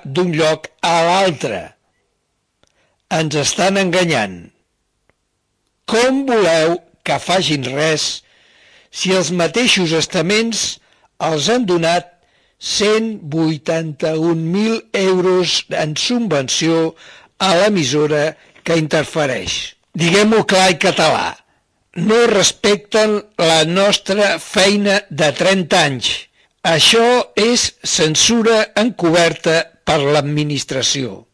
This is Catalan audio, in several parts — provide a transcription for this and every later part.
d'un lloc a l'altre. Ens estan enganyant. Com voleu que facin res si els mateixos estaments els han donat 181.000 euros en subvenció a l'emissora que interfereix? Diguem-ho clar i català. No respecten la nostra feina de 30 anys. Això és censura encoberta per l'administració.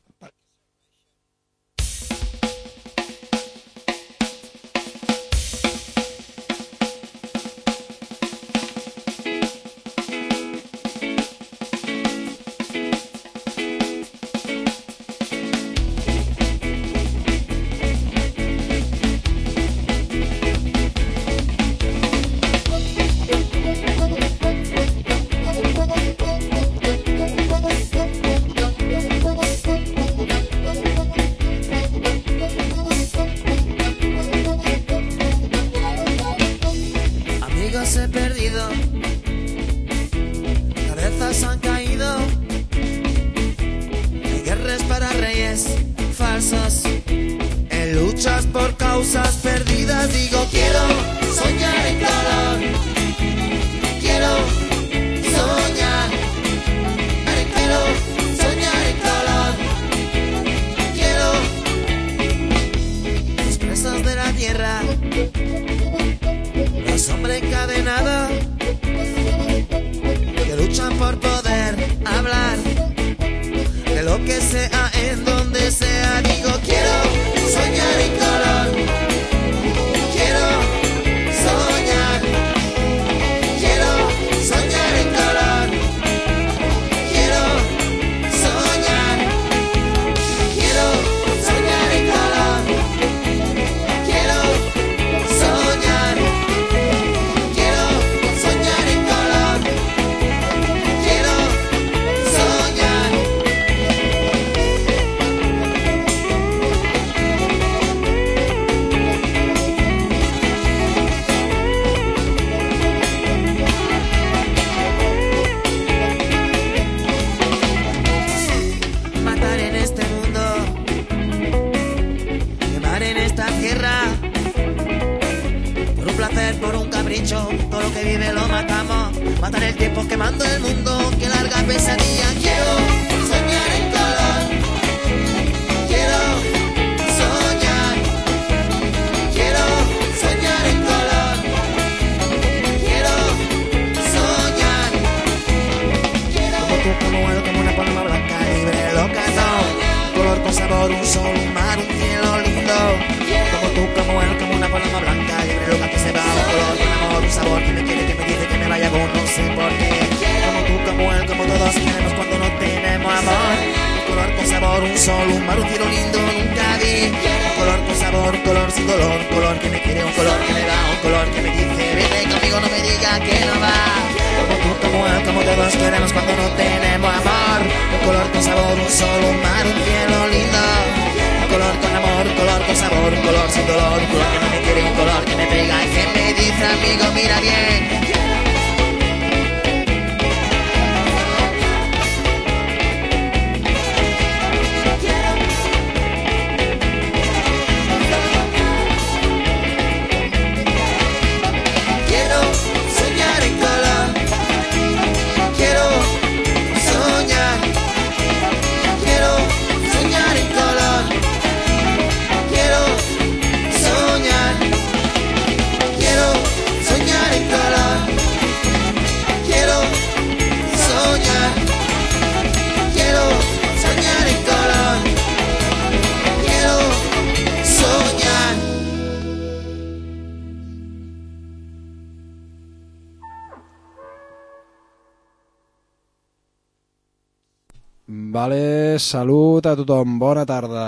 Salut a tothom, bona tarda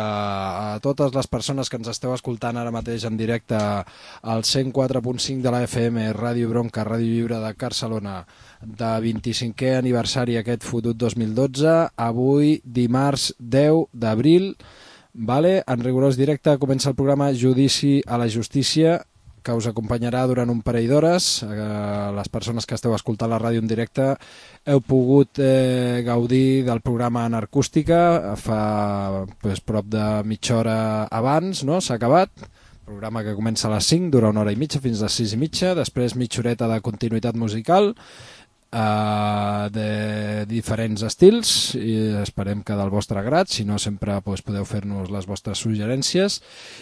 a totes les persones que ens esteu escoltant ara mateix en directe al 104.5 de la FM, Ràdio Bronca, Ràdio Lliure de Barcelona, de 25è aniversari aquest fotut 2012, avui dimarts 10 d'abril, en rigorós directe comença el programa Judici a la Justícia que us acompanyarà durant un parell d'hores. Les persones que esteu escoltant la ràdio en directe heu pogut gaudir del programa en acústica fa prop de mitja hora abans, no? S'ha acabat. Programa que comença a les 5, dura 1 hora i mitja fins a les 6 i mitja, després mitja horeta de continuïtat musical de diferents estils i esperem que del vostre grat, si no sempre podeu fer-nos les vostres suggerències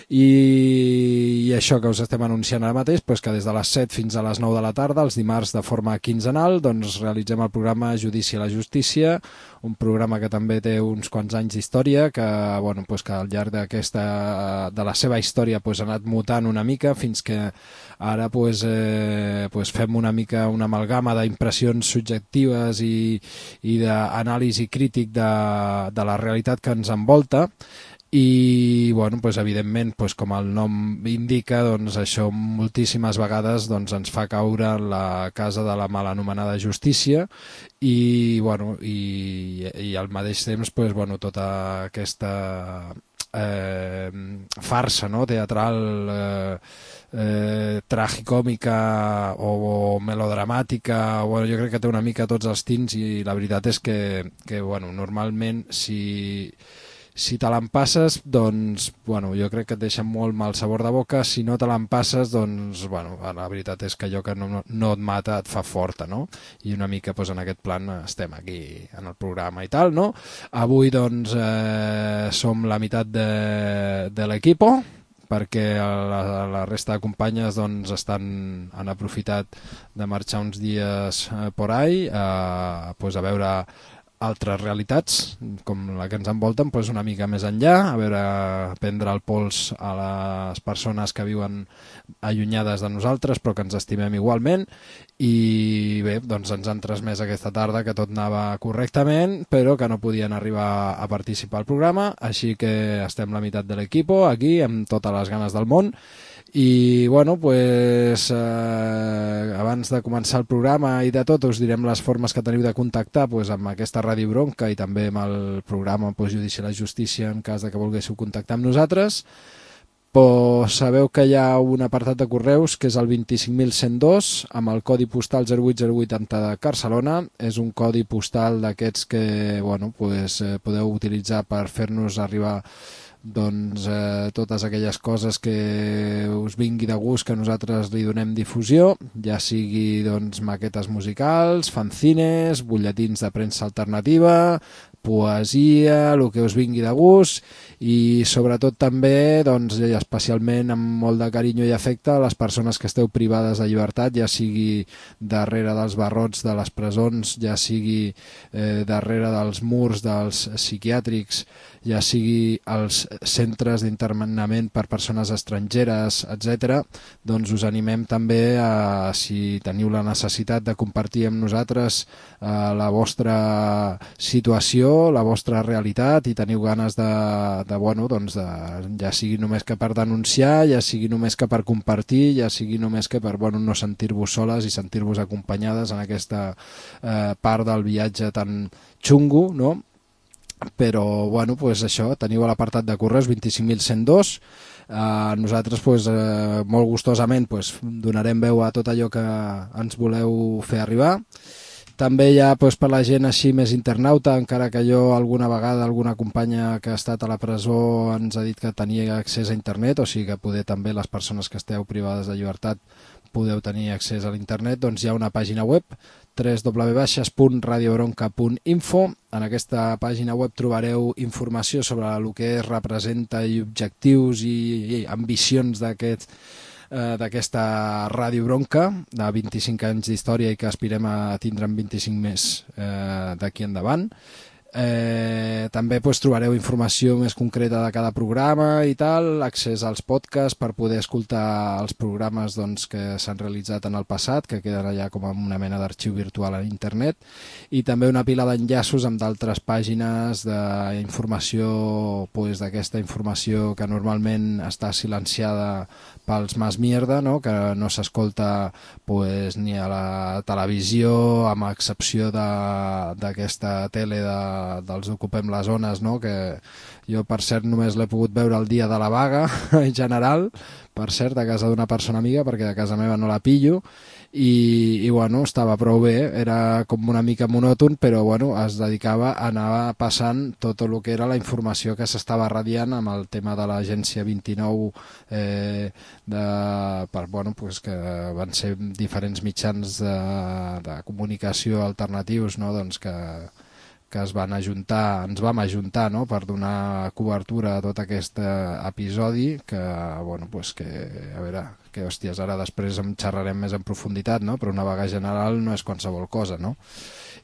i això que us estem anunciant ara mateix, que des de les 7 fins a les 9 de la tarda, els dimarts de forma quinzenal, doncs realitzem el programa Judici a la Justícia, un programa que també té uns quants anys d'història, que al llarg de la seva història ha anat mutant una mica fins que ara fem una mica una amalgama d'impressions subjectives i d'anàlisi crític de la realitat que ens envolta i evidentment com el nom indica, això moltíssimes vegades ens fa caure en la casa de la mal anomenada justícia i al mateix temps tota aquesta farsa, no? Teatral tragicòmica o melodramàtica, jo crec que té una mica tots els tints i la veritat és que normalment si te l'empasses, jo crec que et deixa molt mal sabor de boca. Si no te l'empasses, la veritat és que allò que no et mata et fa forta, no? I una mica en aquest plan estem aquí en el programa i tal, no? Avui, som la meitat de l'equipo, perquè la resta de companyes han aprofitat de marxar uns dies por ahí a veure altres realitats com la que ens envolten una mica més enllà, a prendre el pols a les persones que viuen allunyades de nosaltres però que ens estimem igualment i bé, ens han transmès aquesta tarda que tot anava correctament però que no podien arribar a participar al programa, així que estem la meitat de l'equipo aquí amb totes les ganes del món i abans de començar el programa i de tot us direm les formes que teniu de contactar amb aquesta Ràdio Bronca i també amb el programa Judici a la Justícia en cas de que volguéssiu contactar amb nosaltres. Sabeu que hi ha un apartat de correus que és el 25.102 amb el codi postal 08080 de Barcelona. És un codi postal d'aquests que podeu utilitzar per fer-nos arribar totes aquelles coses que us vingui de gust que nosaltres li donem difusió, ja sigui maquetes musicals, fanzines, butlletins de premsa alternativa, poesia, el que us vingui de gust i sobretot també especialment amb molt de carinyo i afecte a les persones que esteu privades de llibertat, ja sigui darrere dels barrots de les presons, ja sigui darrere dels murs dels psiquiàtrics, ja sigui als centres d'internament per persones estrangeres, etc. Us animem també a, si teniu la necessitat de compartir amb nosaltres la vostra situació, la vostra realitat i teniu ganes ja sigui només que per denunciar, ja sigui només que per compartir, ja sigui només que per no sentir-vos soles i sentir-vos acompanyades en aquesta part del viatge tan xungo, no? Però això, teniu a l'apartat de correus 25.102. Nosaltres molt gustosament donarem veu a tot allò que ens voleu fer arribar. També hi ha per la gent així més internauta, encara que alguna vegada alguna companya que ha estat a la presó ens ha dit que tenia accés a internet, o sigui que també les persones que esteu privades de llibertat podeu tenir accés a l'internet, hi ha una pàgina web www.radiobronca.info. En aquesta pàgina web trobareu informació sobre el que representa i objectius i ambicions d'aquesta Ràdio Bronca de 25 anys d'història i que aspirem a tindre en 25 més d'aquí endavant. També trobareu informació més concreta de cada programa i tal, accés als podcasts per poder escoltar els programes que s'han realitzat en el passat, que queden allà com una mena d'arxiu virtual a internet, i també una pila d'enllaços amb d'altres pàgines d'informació, d'aquesta informació que normalment està silenciada pels mas mierda, no? Que no s'escolta ni a la televisió, amb excepció d'aquesta tele dels Ocupem la les ones, no? Que jo, per cert, només l'he pogut veure el dia de la vaga en general, per cert, a casa d'una persona amiga, perquè a casa meva no la pillo, i bueno, estava prou bé, era com una mica monòton, però bueno, es dedicava a anar passant tot el que era la informació que s'estava radiant amb el tema de l'Agència 29, pues que van ser diferents mitjans de comunicació alternatius, no? Doncs que es van ajuntar, ens vam ajuntar, no? Per donar cobertura a tot aquest episodi que, bueno, pues que, a veure, que hòsties, ara després en xerrarem més en profunditat, no? Però una vaga general no és qualsevol cosa, no?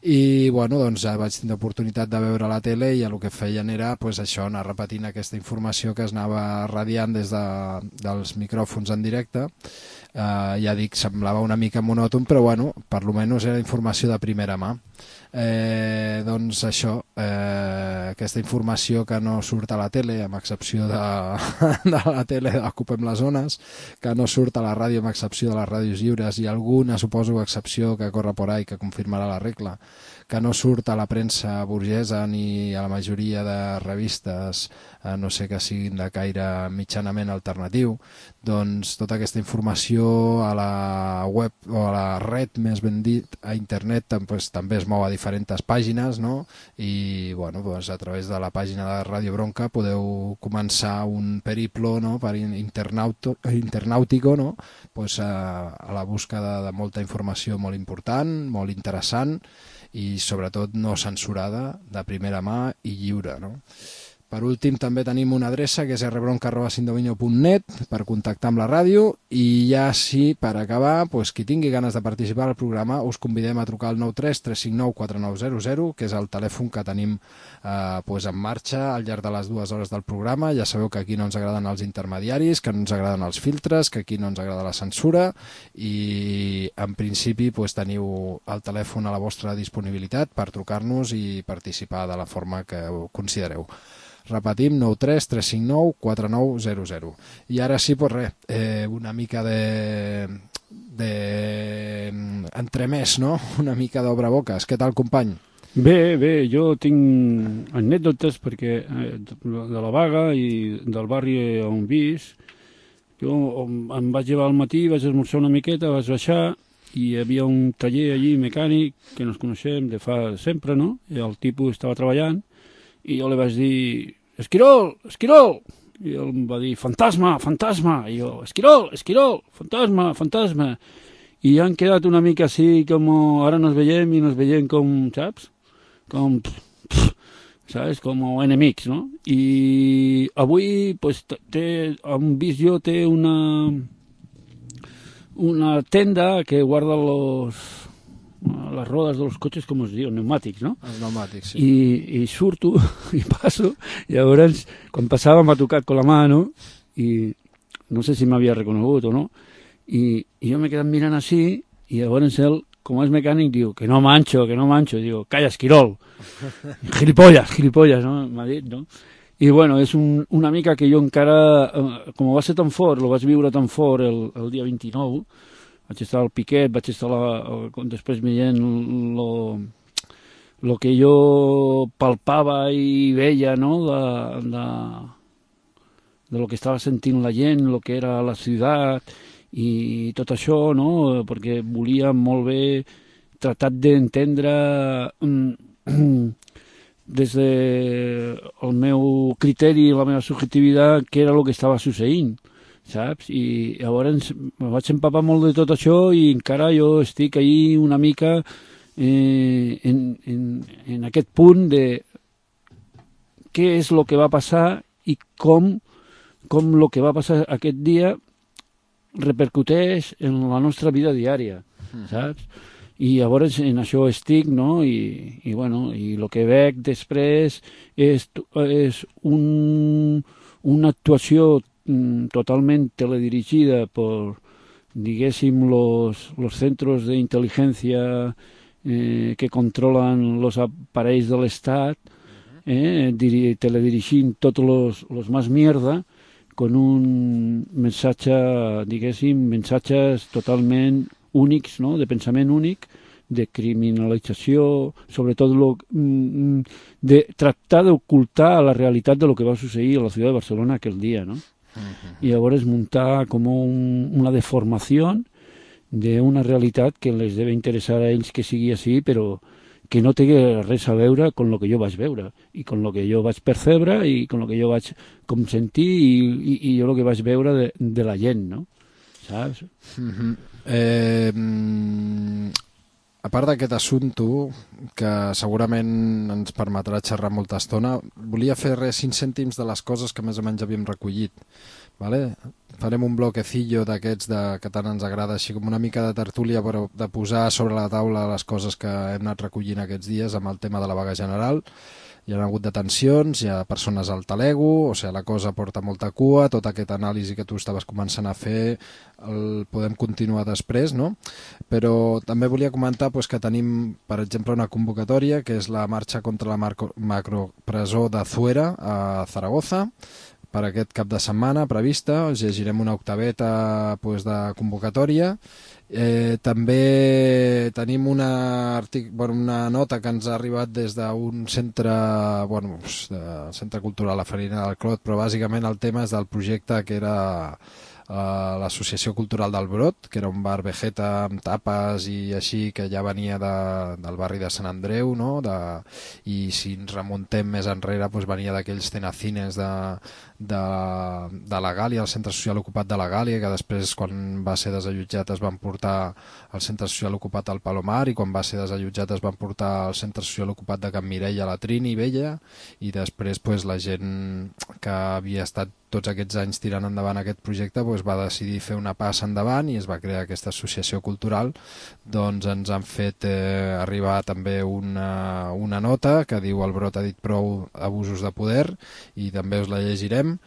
I bueno, doncs ja vaig tenir oportunitat de veure la tele i el que feien era pues, això, anar repetint aquesta informació que es anava radiant des dels micròfons en directe. Ja dic, semblava una mica monòton, però bueno, per lo menys era informació de primera mà. Doncs això, aquesta informació que no surt a la tele, amb excepció de la tele d'Ocupem les Zones, que no surt a la ràdio amb excepció de les ràdios lliures i alguna, suposo, excepció que corre por ahí que confirmarà la regla, que no surt a la premsa burgesa ni a la majoria de revistes, no sé que siguin de caire mitjanament alternatiu, doncs tota aquesta informació a la web o a la red, més ben dit, a internet, pues, també es mou a diferents pàgines, no? I bueno, pues, a través de la pàgina de Ràdio Bronca podeu començar un periplo, no? Per internàutico, no? Pues, a la búsqueda de molta informació molt important, molt interessant i sobretot no censurada, de primera mà i lliure, no? Per últim, també tenim una adreça que és rbronca@sindominio.net per contactar amb la ràdio i ja sí, per acabar, pues, qui tingui ganes de participar al programa us convidem a trucar al 93 359 4900, que és el telèfon que tenim pues, en marxa al llarg de les 2 hores del programa. Ja sabeu que aquí no ens agraden els intermediaris, que no ens agraden els filtres, que aquí no ens agrada la censura i en principi pues, teniu el telèfon a la vostra disponibilitat per trucar-nos i participar de la forma que considereu. Repetim, 93 359 4900. I ara sí, pues res, una mica entremès, no? Una mica d'obre-boques. Què tal, company? Bé, jo tinc anècdotes perquè de la vaga i del barri on vis, jo em vaig llevar al matí, vaig esmorzar una miqueta, vaig baixar i hi havia un taller allí mecànic que ens coneixem de fa sempre, no? I el tipus estava treballant i jo li vaig dir, Esquirol, Esquirol! I ell em va dir, fantasma, fantasma! I jo, Esquirol, Esquirol, fantasma, fantasma! I han quedat una mica així com ara nos veiem i nos veiem com, saps? Com, saps? Com enemics, no? I avui, pues, han vist jo, té una tenda que guarda les rodes dels cotxes, com es diu, pneumàtics, no? Els pneumàtics, sí. I surto i passo, i llavors, quan passava m'ha tocat con la mà, no? I no sé si m'havia reconegut o no, i jo m'he quedat mirant així, i llavors ell, com és mecànic, diu, que no mancho, diu, calla, Esquirol, gilipollas, no? M'ha dit, no? I bueno, és una mica que jo encara, com va ser tan fort, lo vaig viure tan fort el dia 29, vaig estar al piquet, vaig estar després veient el que jo palpava i veia, no?, de lo que estava sentint la gent, el que era la ciutat i tot això, no?, perquè volia molt bé tratar d'entendre des del meu criteri i la meva subjectivitat què era el que estava succeint, saps? I llavors me vaig empapar molt de tot això i encara jo estic ahí una mica en aquest punt de què és el que va passar i com el que va passar aquest dia repercuteix en la nostra vida diària, saps? I llavors en això estic, no? I bueno, i el que veig després és una actuació totalment teledirigida por, diguéssim, los centros de inteligencia que controlan los aparells de l'Estat, teledirigint tots los más mierda, con un missatge, diguéssim, missatges totalment únics, no?, de pensament únic, de criminalització, sobretot de tractar d'ocultar la realitat de lo que va succeir a la ciutat de Barcelona aquell dia, no? I llavors muntar com una deformació d'una realitat que les deve interessar a ells que sigui així, però que no té res a veure amb el que jo vaig veure i amb el que jo vaig percebre i amb el que jo vaig com sentir i jo el que vaig veure de la gent, no? Saps? A part d'aquest assumpte, que segurament ens permetrà xerrar molta estona, volia fer 5 cèntims de les coses que més o menys havíem recollit. Vale? Farem un bloquecillo d'aquests que tant ens agrada, així com una mica de tertúlia, però de posar sobre la taula les coses que hem anat recollint aquests dies amb el tema de la vaga general. Hi ha hagut detencions, hi ha persones al talego, o sigui, la cosa porta molta cua, tot aquest anàlisi que tu estaves començant a fer el podem continuar després, no? Però també volia comentar que tenim, per exemple, una convocatòria, que és la marxa contra la macropresó de Zuera a Zaragoza, per aquest cap de setmana prevista. Us llegirem una octaveta de convocatòria. També tenim una nota que ens ha arribat des d'un centre, centre cultural La Farina del Clot, però bàsicament el tema és del projecte que era l'Associació Cultural del Brot, que era un bar vegeta amb tapes i així, que ja venia del barri de Sant Andreu, no? I si ens remuntem més enrere, venia d'aquells tenacines de la Gàlia, el centre social ocupat de la Gàlia, que després, quan va ser desallotjat, es van portar al centre social ocupat al Palomar, i quan va ser desallotjat es van portar al centre social ocupat de Can Mireia a la Trini Vella, i després la gent que havia estat tots aquests anys tirant endavant aquest projecte va decidir fer una passa endavant i es va crear aquesta associació cultural. Doncs ens han fet arribar també una nota que diu: el Brot ha dit prou abusos de poder, i també us la llegirem.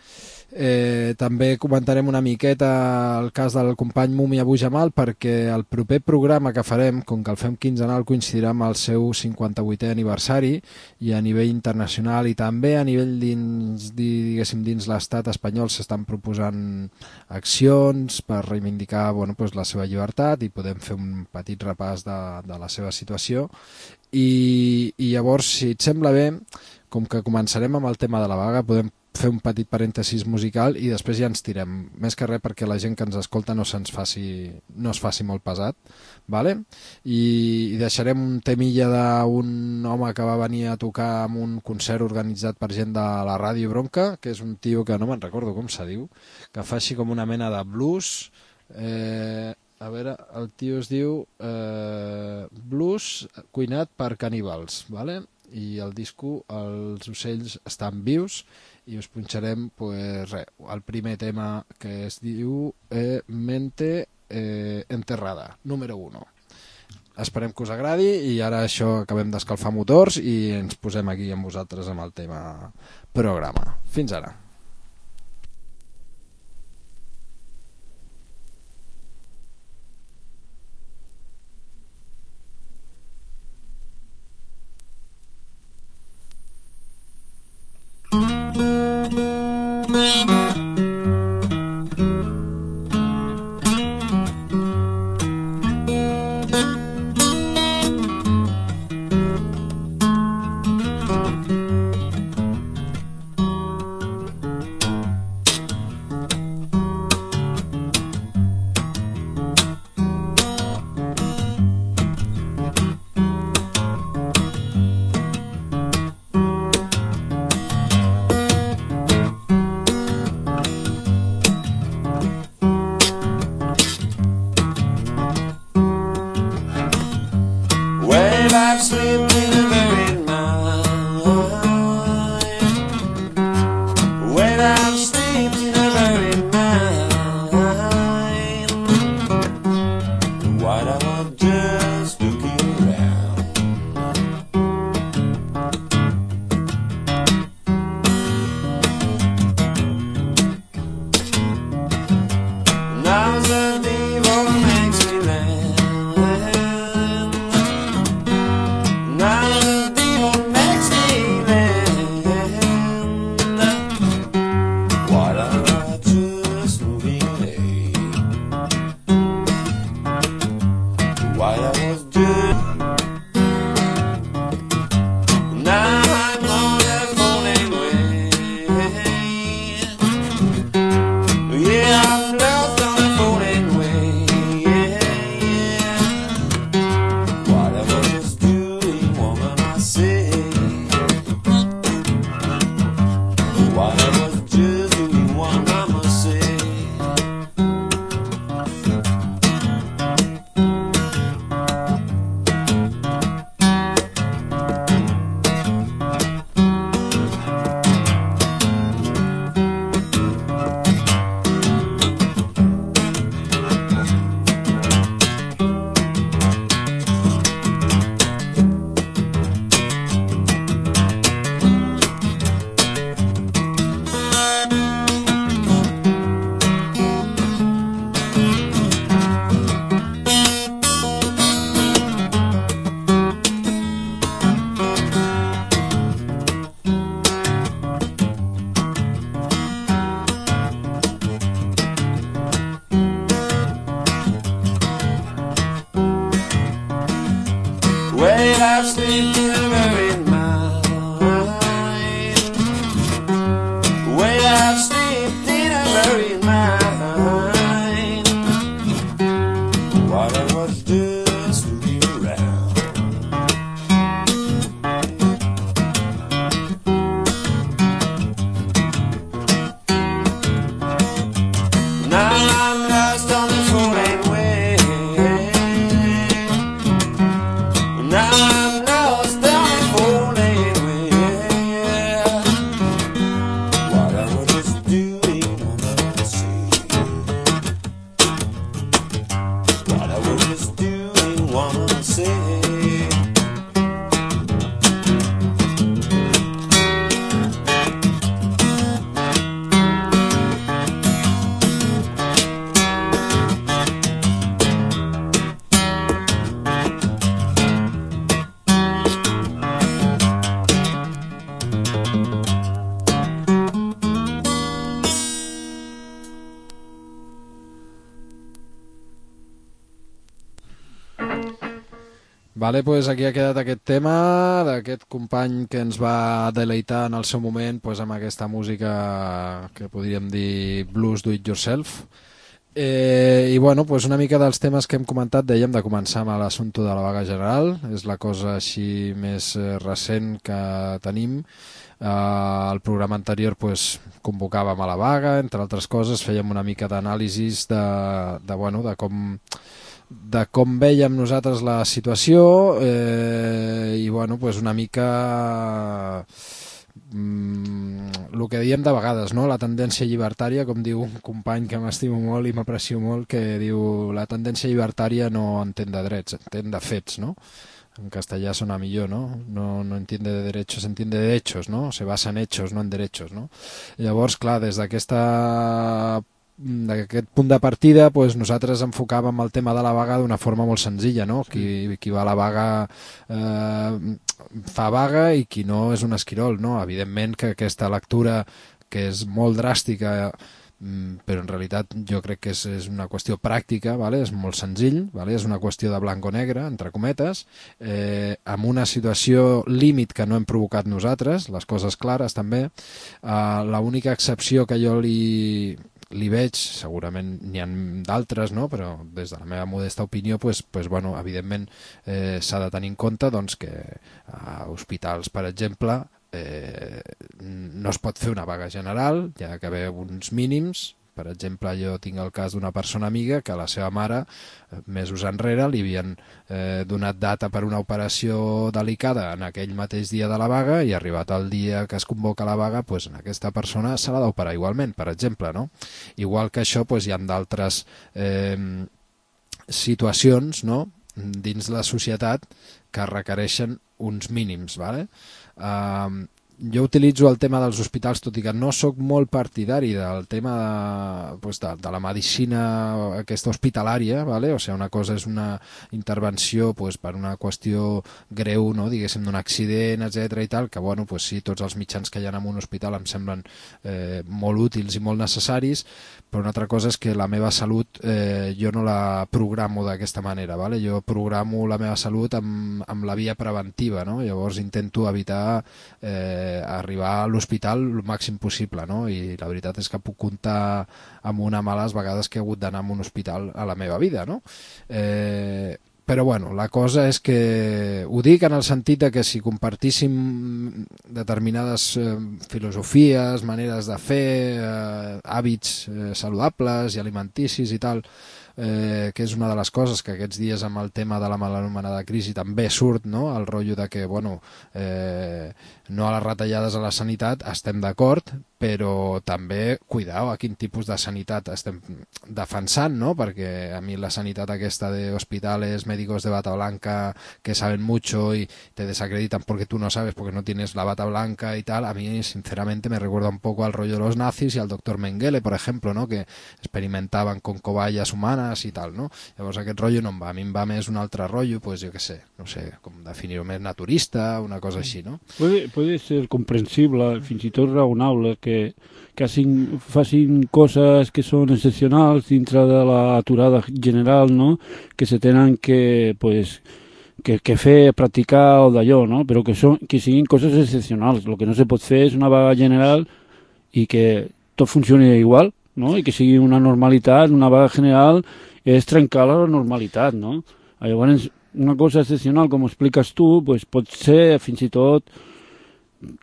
També comentarem una miqueta el cas del company Mumi Abu Jamal, perquè el proper programa que farem, com que el fem quinzenal, coincidirà amb el seu 58è aniversari, i a nivell internacional i també a nivell dins l'estat espanyol s'estan proposant accions per reivindicar la seva llibertat, i podem fer un petit repàs de la seva situació. I llavors, si et sembla bé, com que començarem amb el tema de la vaga, podem fer un petit parèntesis musical i després ja ens tirem, més que res perquè la gent que ens escolta no es faci molt pesat, vale? I deixarem un temilla d'un home que va venir a tocar en un concert organitzat per gent de la Ràdio Bronca, que és un tio que no me'n recordo com se diu, que fa així com una mena de blues. A veure, el tio es diu Blues cuinat per caníbals, vale? I el disco Els ocells estan vius, i us punxarem el primer tema, que es diu Mente enterrada, número 1. Esperem que us agradi, i ara això, acabem d'escalfar motors i ens posem aquí amb vosaltres amb el tema programa. Fins ara. What I was doing, one I must say. Well, I sleep never in mind. Well, I sleep never in mind. While I was just looking around. Now I'm lost on the four-lane way. Now I'm lost down the four-lane way. What I was just doing, what I was saying. What I was just doing, what I was saying. Vale, pues aquí ha quedat aquest tema d'aquest company que ens va deleitar en el seu moment pues, amb aquesta música que podríem dir blues do it yourself. I bueno, pues una mica dels temes que hem comentat, dèiem de començar amb l'assumpte de la vaga general, és la cosa així més recent que tenim. El programa anterior pues, convocàvem a la vaga, entre altres coses fèiem una mica d'anàlisis de com vèiem nosaltres la situació i bueno, pues una mica el que diem de vegades, no? La tendència llibertària, com diu un company que m'estimo molt i m'aprecio molt, que diu la tendència llibertària no entén de drets, entén de fets, no? En castellà sona millor, ¿no? No entiende de derechos, entiende de hechos, ¿no? Se basa en hechos, no en derechos, no? Llavors, clar, des d'aquest punt de partida pues, nosaltres enfocàvem el tema de la vaga d'una forma molt senzilla, no? Qui va a la vaga fa vaga i qui no és un esquirol, no? Evidentment que aquesta lectura que és molt dràstica però en realitat jo crec que és una qüestió pràctica, vale? És molt senzill, vale? És una qüestió de blanc o negre, entre cometes, amb una situació límit que no hem provocat nosaltres, les coses clares també. L'única excepció que jo li veig, segurament n'hi ha d'altres, no? Però des de la meva modesta opinió, bueno, evidentment s'ha de tenir en compte doncs, que a hospitals, per exemple, no es pot fer una vaga general, hi ha d'haver uns mínims. Per exemple, jo tinc el cas d'una persona amiga que a la seva mare, mesos enrere, li havien donat data per una operació delicada en aquell mateix dia de la vaga i arribat el dia que es convoca la vaga, doncs, en aquesta persona se l'ha d'operar igualment, per exemple, no? Igual que això, doncs, hi ha d'altres situacions, no?, dins la societat que requereixen uns mínims, ¿vale? Jo utilitzo el tema dels hospitals, tot i que no sóc molt partidari del tema de la medicina aquesta hospitalària, ¿vale? O sigui, una cosa és una intervenció per una qüestió greu, no? Diguéssim, d'un accident, etc i tal, que bueno, sí, tots els mitjans que hi ha en un hospital em semblen molt útils i molt necessaris, però una altra cosa és que la meva salut jo no la programo d'aquesta manera, ¿vale? Jo programo la meva salut amb la via preventiva, no? Llavors intento evitar arribar a l'hospital el màxim possible, no? I la veritat és que puc comptar amb una mà les vegades que he hagut d'anar a un hospital a la meva vida, no? Però bueno, la cosa és que ho dic en el sentit de que si compartíssim determinades filosofies, maneres de fer, hàbits saludables i alimenticis i tal, que és una de les coses que aquests dies amb el tema de la mal anomenada crisi també surt, no? El rotllo de que, bueno, no a les retallades a la sanitat, estem d'acord, però també, cuidao, a quin tipus de sanitat estem defensant, no? Perquè a mi la sanitat aquesta de hospitales, médicos de bata blanca que saben mucho y te desacreditan porque tú no sabes, porque no tienes la bata blanca y tal, a mí sinceramente me recuerda un poco al rollo de los nazis y al doctor Mengele, por ejemplo, ¿no? Que experimentaven con cobayes humanes i tal, no? Llavors aquest rotllo no em va, a mi em va més un altre rotllo, pues jo què sé, no sé com definir-ho, més naturista, una cosa així, no? Puede ser comprensible, fins i tot raonable, que facin coses que són excepcionals dintre de la aturada general, no? Que se tenen que, pues, que fer, practicar o d'allò, no? Però que siguin coses excepcionals. El que no se pot fer és una vaga general i que tot funcioni igual, no? I que sigui una normalitat, una vaga general és trencar la normalitat, no? Llavors, una cosa excepcional, com expliques tu, pues, pot ser fins i tot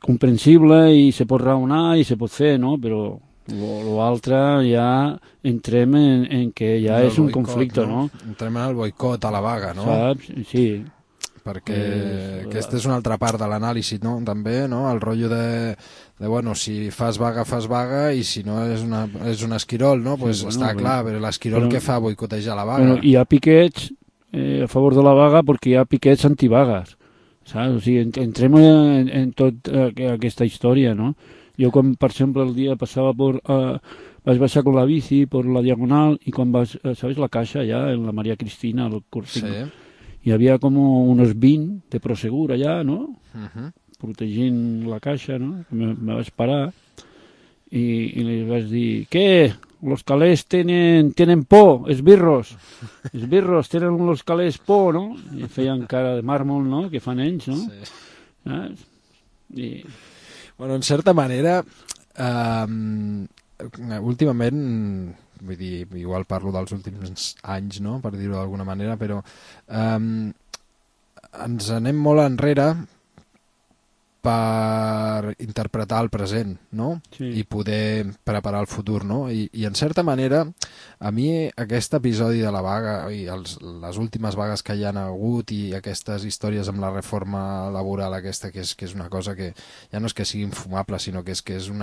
comprensible i se pot raonar i se pot fer, no? Però l'altre ja entrem en que ja és un conflicte, no? Entrem en el boicot a la vaga, no? Saps? Sí. Perquè aquesta és una altra part de l'anàlisi, no? També, no? El rotllo de bueno, si fas vaga i si no és un esquirol, no? Pues sí, bueno, està clar, però l'esquirol què fa? Boicotejar la vaga. Bueno, hi ha piquets a favor de la vaga perquè hi ha piquets antivagues, saps? O sigui, entrem en tot aquesta història, no? Jo, quan, per exemple, el dia passava vaig baixar con la bici per la Diagonal i quan ¿sabes la caixa allà, en la Maria Cristina, el Cortico? Sí. Hi havia com unos 20 de Prosegur allà, no? Protegint la caixa, no? Me vaig parar i li vaig dir, què? Los calés tenen por, esbirros, tenen los calés por, no? I feien cara de màrmol, no?, que fan ells, no? Sí. Bueno, en certa manera, últimament, vull dir, igual parlo dels últims anys, no?, per dir-ho d'alguna manera, però ens anem molt enrere per interpretar el present, no? Sí. I poder preparar el futur, no? I en certa manera, a mi aquest episodi de la vaga i les últimes vagues que hi han hagut i aquestes històries amb la reforma laboral aquesta, que és una cosa que ja no és que sigui infumable, sinó que és un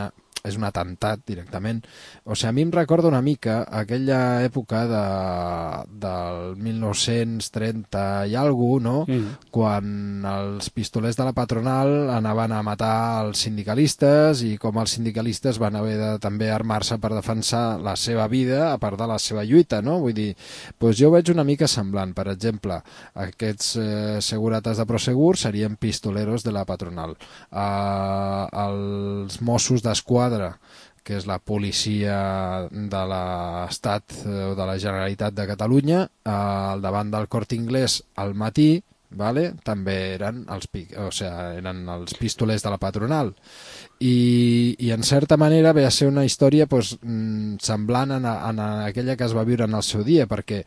atemptat directament. O sigui, a mi em recorda una mica aquella època del 1930 i alguna cosa, no? Sí. Quan els pistolers de la patronal anaven a matar els sindicalistes i com els sindicalistes van haver de també armar-se per defensar la seva vida a part de la seva lluita, no? Vull dir, doncs jo veig una mica semblant. Per exemple, aquests segurates de Prosegur serien pistoleros de la patronal. Els Mossos d'Esquadra, que és la policia de l'Estat o de la Generalitat de Catalunya, al davant del Corte Inglés al matí, vale? També eren els pistolers de la patronal i en certa manera ve a ser una història semblant a aquella que es va viure en el seu dia, perquè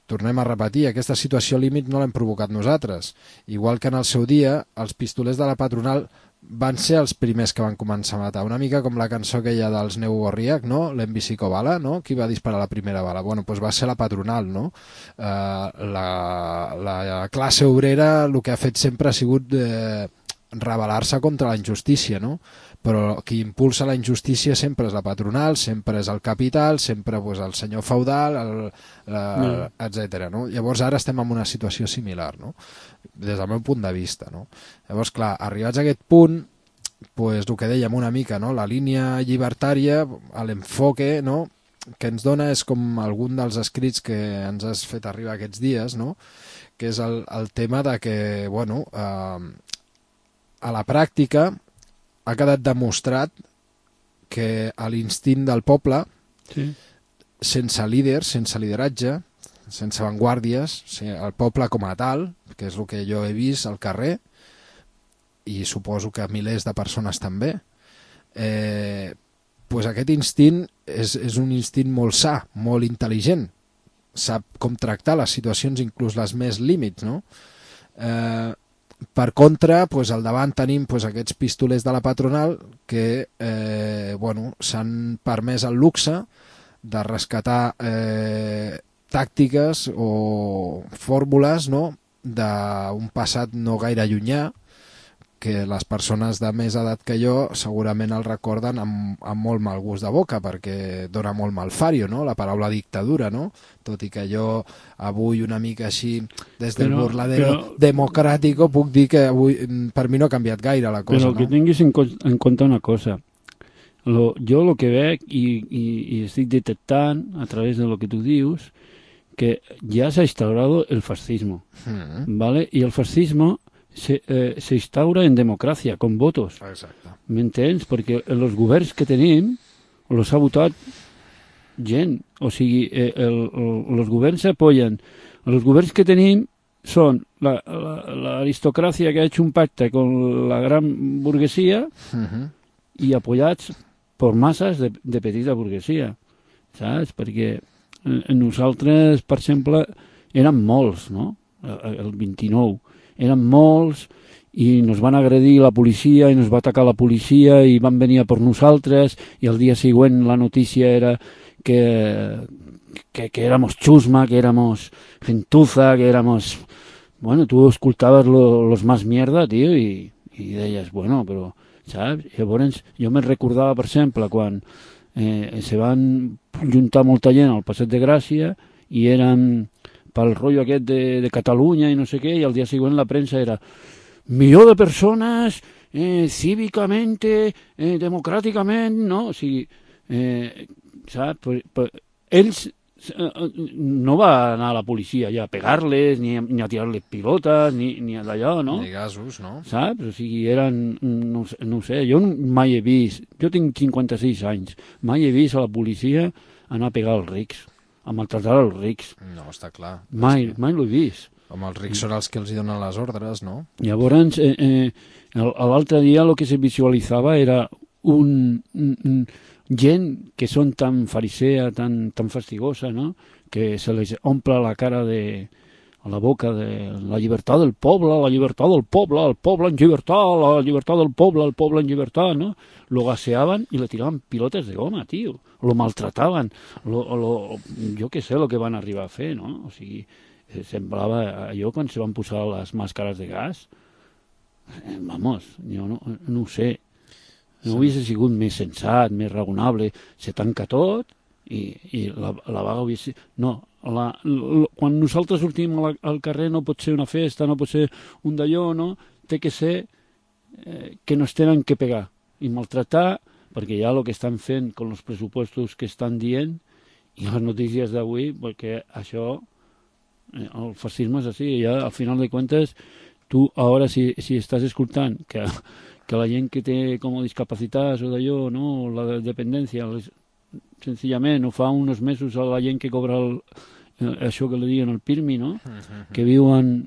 tornem a repetir, aquesta situació límit no l'hem provocat nosaltres, igual que en el seu dia els pistolers de la patronal van ser els primers que van començar a matar, una mica com la cançó aquella dels Neu Gorriac, no? L'Envisico Bala, no? Qui va disparar la primera bala? Bueno, doncs va ser la patronal, no? La classe obrera el que ha fet sempre ha sigut rebel·lar-se contra la injustícia, no? Però qui impulsa la injustícia sempre és la patronal, sempre és el capital, sempre el senyor feudal, etc. No? Llavors ara estem en una situació similar, no? Des del meu punt de vista, no? Llavors, clar, arribats a aquest punt, el que dèiem una mica, no? La línia llibertària, l'enfoque, no?, que ens dona és com algun dels escrits que ens has fet arribar aquests dies, no?, que és el tema de que, bueno, a la pràctica ha quedat demostrat que l'instint del poble, sí, sense líders, sense lideratge, sense vanguardies, el poble com a tal, que és el que jo he vist al carrer, i suposo que milers de persones també, doncs aquest instint és un instint molt sa, molt intel·ligent, sap com tractar les situacions, inclús les més límits, no? Per contra, pues, al davant tenim pues, aquests pistolers de la patronal que s'han permès el luxe de rescatar tàctiques o fórmules, no?, d'un passat no gaire llunyà, que les persones de més edat que jo segurament el recorden amb molt mal gust de boca, perquè dona molt malfario, no?, la paraula dictadura, no?, tot i que jo avui una mica així des del burladero democràtico puc dir que avui per mi no ha canviat gaire la cosa. Però que tinguis en compte una cosa, jo el que veig i estic detectant a través de lo que tu dius, que ya se ha instaurado el fascismo, ¿vale? Y el fascismo se instaura en democràcia, con votos. Exacte. M'entens? Perquè els governs que tenim els ha votat gent. O sigui, els governs s'apoyen. Els governs que tenim són l'aristocràcia que ha hecho un pacte con la gran burguesia i apoyats per masses de petita burguesia, saps? Perquè nosaltres, per exemple, érem molts, no? El 29. Érem molts i nos van agredir la policia i nos va atacar la policia i van venir a per nosaltres i el dia següent la notícia era que éramos chusma, que éramos gentuza, que éramos... Bueno, tu escoltaves los más mierda, tio, i deies, bueno, però, saps? Llavors, jo me recordava, per exemple, quan se van juntar molta gent al Passeig de Gràcia i eren pel rotllo aquest de Catalunya i no sé què, i al dia següent la premsa era milió de persones cívicamente, democràticament, no? O sigui, saps? Ells no va anar a la policia ja a pegar-les, ni a tirar-les pilotes, ni a d'allò, no? Ni gasos, no? Saps? O sigui, eren... No ho sé, jo mai he vist... Jo tinc 56 anys. Mai he vist a la policia anar a pegar els rics, a maltratar els rics. No, està clar. Mai l'ho he vist. Home, els rics són els que els hi donen les ordres, no? Llavors, l'altre dia el que se visualitzava era gent que són tan farisea, tan fastigosa, no?, que se les omple la cara a la boca de la llibertat del poble, la llibertat del poble, el poble en llibertat, la llibertat del poble, el poble en llibertat, no? Lo gaseaven i le tiraven pilotes de goma, tio. Lo maltrataven. Jo què sé el que van arribar a fer, no? O sigui, semblava allò quan se van posar les màscares de gas. Vamos, jo no ho sé. No hauria sigut més sensat, més raonable. Se tanca tot i la vaga hauria sigut... No, quan nosaltres sortim al carrer no pot ser una festa, no pot ser un d'allò, no? Té que ser que no es tenen que pegar i maltratar, perquè ja el que estan fent amb els pressupostos que estan dient i les notícies d'avui, perquè això, el fascisme és així, ja al final de comptes, tu ara si estàs escoltant que la gent que té com a discapacitats o d'allò, no, la dependència, senzillament, ho fa uns mesos a la gent que cobra això que li diuen el PIRMI, no? Que viuen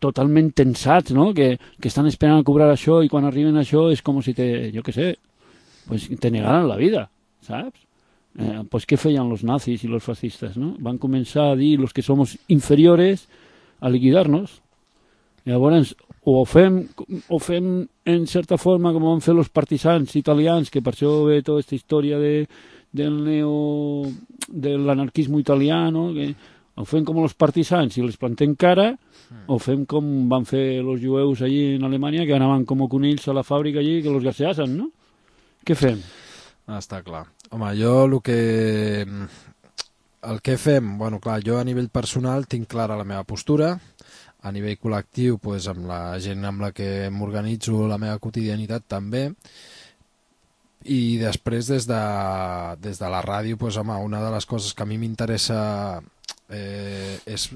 totalment tensats, no? Que estan esperant a cobrar això i quan arriben a això és com si jo què sé, pues te negaran la vida, saps? Pues què feien los nazis i los fascistes, no? Van començar a dir los que somos inferiores a liquidar-nos. Llavors, o ho fem en certa forma com van fer els partisans italians, que per això ve tota aquesta història de l'anarquisme italià, no? Que ho fem com els partisans i les plantem cara, o fem com van fer els jueus allí en Alemanya, que anaven com conills a la fàbrica allí, que els gaseasen, no? Què fem? Està clar. Home, jo el que fem, bueno, clar, jo a nivell personal tinc clara la meva postura. A nivell col·lectiu, pues, amb la gent amb la que m'organitzo la meva quotidianitat també, i després des de la ràdio, pues, home, una de les coses que a mi m'interessa és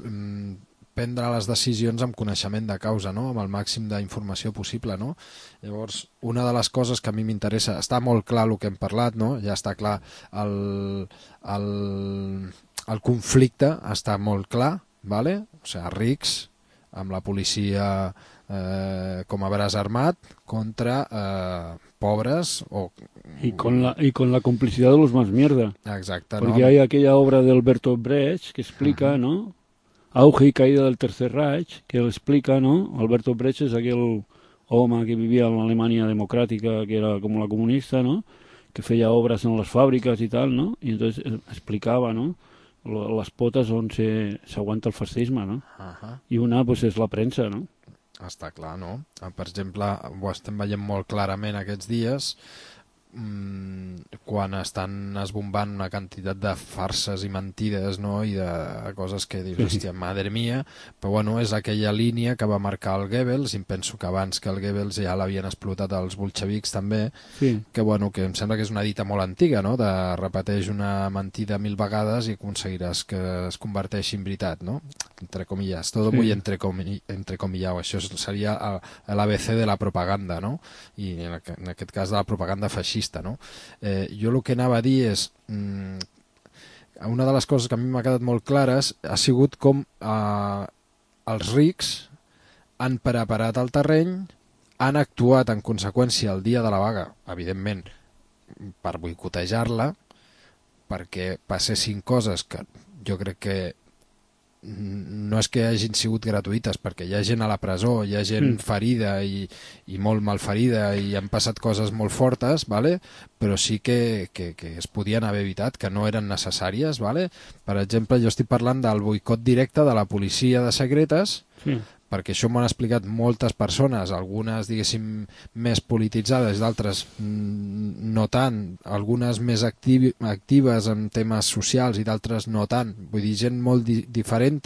prendre les decisions amb coneixement de causa, no? Amb el màxim d'informació possible, no? Llavors, una de les coses que a mi m'interessa, està molt clar el que hem parlat, no? Ja està clar el conflicte, està molt clar, vale? O sigui, rics, amb la policia com a braç armat contra pobres o... Y con la complicidad de los más mierda. Exacte, Porque no? hay aquella obra de Alberto Brecht que explica, ¿no? Auge y caída del Tercer Reich, que él explica, ¿no? Alberto Brecht es aquel home que vivia en l'Alemanya democràtica, que era com la comunista, ¿no? Que feia obres en les fàbriques i tal, ¿no? I entonces explicava, ¿no? Les potes on s'aguanta el fascisme, no? I una, pues, és la premsa, no? Està clar, no? Per exemple, ho estem veient molt clarament aquests dies, quan estan esbombant una quantitat de farses i mentides, no? I de coses que dius, hòstia, madre mia, però bueno, és aquella línia que va marcar el Goebbels, i em penso que abans que el Goebbels ja l'havien explotat els bolxevics també, que bueno, que em sembla que és una dita molt antiga, no? De repeteix una mentida 1000 vegades i aconseguiràs que es converteixi en veritat, no? Entre comillas, todo muy entrecomillado, això seria l'ABC de la propaganda, no? I en aquest cas de la propaganda feixista, no? Jo el que anava a dir és, una de les coses que a mi m'ha quedat molt clares ha sigut com els rics han preparat el terreny, han actuat en conseqüència el dia de la vaga, evidentment per boicotejar-la, perquè passessin coses que jo crec que no és que hagin sigut gratuïtes, perquè hi ha gent a la presó, hi ha gent ferida i molt malferida i han passat coses molt fortes, ¿vale? Però sí que es podien haver evitat, que no eren necessàries. ¿Vale? Per exemple, jo estic parlant del boicot directe de la policia de secretes, perquè això m'ho han explicat moltes persones, algunes, diguéssim, més polititzades, d'altres no tant, algunes més actives en temes socials i d'altres no tant. Vull dir, gent molt diferent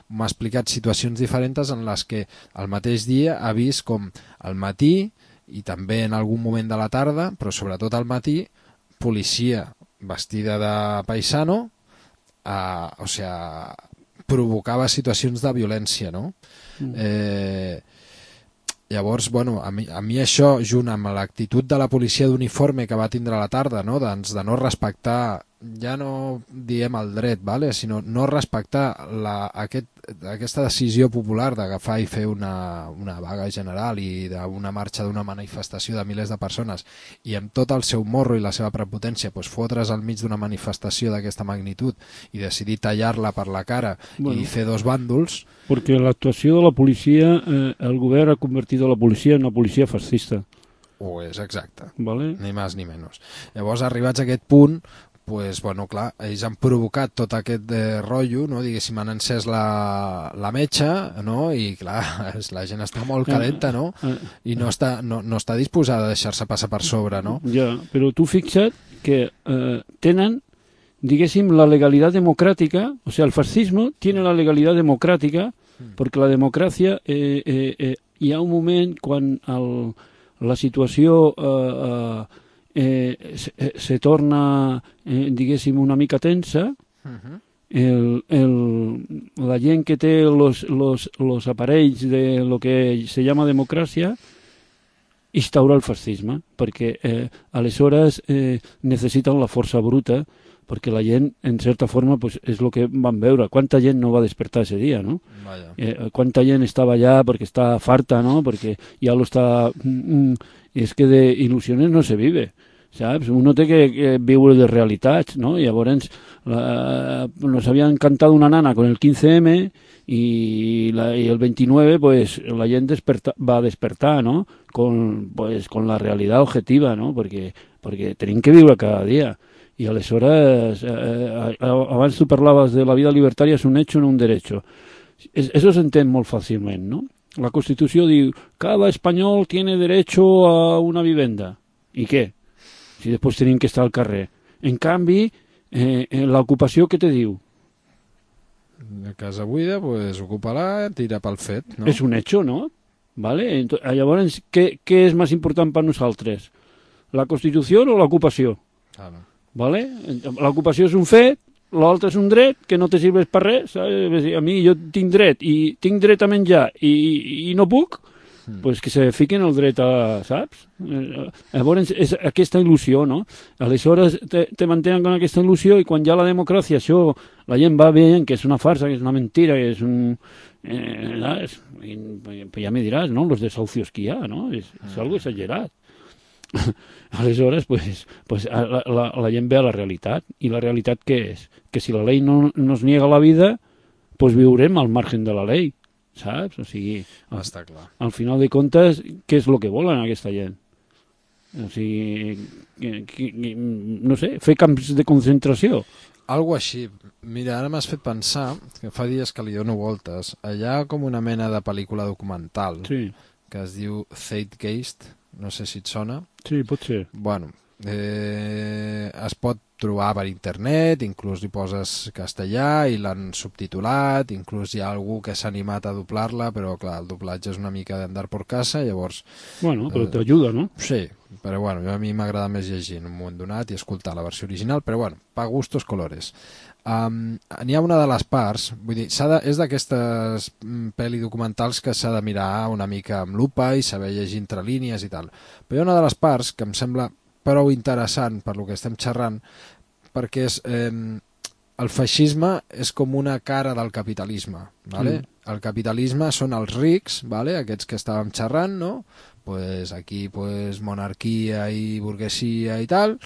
m'ha explicat situacions diferents en les que el mateix dia ha vist com al matí i també en algun moment de la tarda, però sobretot al matí, policia vestida de paisano, o sea, provocava situacions de violència, no? Llavors, bueno, a mi això, junt amb l'actitud de la policia d'uniforme que va tindre a la tarda, no? Doncs de no respectar, ja no diem el dret, ¿vale? Sinó no respectar aquesta decisió popular d'agafar i fer una vaga general i d'una marxa d'una manifestació de milers de persones, i amb tot el seu morro i la seva prepotència fotre's al mig d'una manifestació d'aquesta magnitud i decidir tallar-la per la cara i fer dos bàndols. Perquè l'actuació de la policia, el govern ha convertit la policia en una policia fascista. Ho és, exacte. Vale? Ni més ni menys. Llavors, arribats a aquest punt, pues, bueno, clar, ells han provocat tot aquest rotllo, no? Diguéssim, han encès la metxa, no? I clar, la gent està molt calenta, no? I no està disposada a deixar-se passar per sobre, no? Ja, però tu fixa't que tenen, diguéssim, la legalitat democràtica, o sea, el fascismo tiene la legalitat democràtica, perquè la democràcia, hi ha un moment quan la situació se torna, diguéssim, una mica tensa, la gent que té los aparells de lo que se llama democràcia instaura el fascisme, perquè aleshores necessiten la força bruta, perquè la gent, en certa forma, pues, és el que van veure. Quanta gent no va despertar ese dia, no? Quanta gent estava allà perquè està farta, no? Perquè ja lo està... és que de il·lusiones no se vive, saps? Uno té que viure de realitats, no? Llavors, nos havien cantat una nana con el 15M y el 29, pues, la gent va despertar, ¿no? Con la realidad objetiva, ¿no? Perquè tenim que viure cada dia. Y aleshores, abans tu parlaves de la vida libertària és un hecho, no un derecho. Eso s'entén molt fàcilment, no? La Constitució diu, cada espanyol tiene derecho a una vivenda. I què? Si després tenim que estar al carrer. En canvi, l'ocupació, què te diu? La casa buida, pues, ocupa-la, tira pel fet, no? És un hecho, no? ¿Vale? Llavors, què és més important per nosaltres? La Constitució o l'ocupació? Claro. ¿Vale? L'ocupació és un fet, l'altre és un dret que no te sirves per res, saps? A mi jo tinc dret a menjar i no puc, pues que se fiquen el dret a, saps? Llavors és aquesta il·lusió, no? Aleshores te mantenen con aquesta il·lusió i quan ja la democràcia, això, la gent va veient que és una farsa, que és una mentira, que és un... ja me diràs, no? Los desahucios que hi ha, no? És algo exagerat. Aleshores, pues la gent ve a la realitat. I la realitat què és? Que si la llei no nos niega la vida, pues viurem al margen de la llei, saps? O sigui, Està clar. al final de comptes, què és el que volen aquesta gent? O sigui, no sé, fer camps de concentració. Algo així. Mira, ara m'has fet pensar, que fa dies que li dono voltes, allà com una mena de pel·lícula documental Sí, que es diu Zeitgeist, no sé si et sona. sí, pot ser. Bueno, es pot trobar per internet, inclús hi poses castellà i l'han subtitulat, inclús hi ha algú que s'ha animat a doblar-la, però clar, el doblatge és una mica d'andar por casa, llavors... Bueno, però t'ajuda, no? Sí, però bueno, a mi m'agrada més llegir en un moment donat i escoltar la versió original, però bueno, pa gustos colores. N'hi ha una de les parts, vull dir, és d'aquestes pel·li documentals que s'ha de mirar una mica amb lupa i saber llegir entre línies i tal, però hi ha una de les parts que em sembla prou interessant per lo que estem xerrant, perquè és, el feixisme és com una cara del capitalisme, ¿vale? El capitalisme són els rics, ¿vale? Aquests que estàvem xerrant, no? Pues aquí pues, monarquia i burguesia i tal,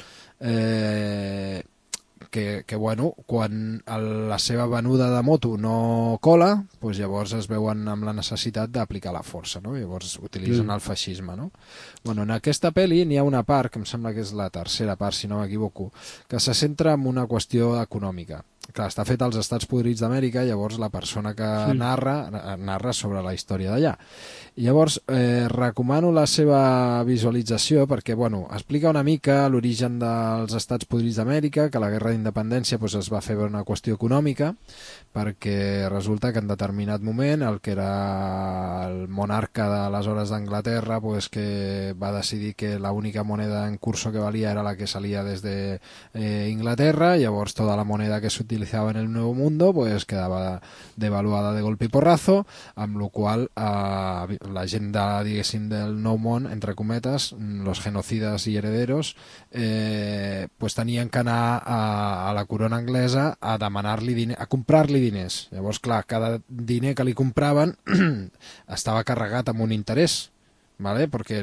que bueno, quan la seva venuda de moto no cola, pues llavors es veuen amb la necessitat d'aplicar la força, no? Llavors utilitzen el feixisme, no? Bueno, en aquesta pel·li n'hi ha una part, que em sembla que és la tercera part, si no m'equivoco, que se centra en una qüestió econòmica. Clar, està fet als Estats Podrits d'Amèrica, llavors la persona que narra sobre la història d'allà. Llavors, recomano la seva visualització perquè, bueno, explica una mica l'origen dels Estats Podrits d'Amèrica, que la guerra d'independència pues, es va fer per una qüestió econòmica, perquè resulta que en determinat moment el que era el monarca d'aleshores d'Anglaterra pues, que va decidir que l'única moneda en curso que valia era la que salía desde Inglaterra, llavors tota la moneda que s'utilitzava en el Nuevo Mundo pues, quedava devaluada de golpe i porrazo, amb la qual la gent diguéssim del Nou Món, entre cometes, los genocidas i herederos, pues tenien que anar a la corona anglesa a demanar-li diner, a comprar-li diners. Llavors, clar, cada diner que li compraven estava carregat amb un interès, ¿vale? Perquè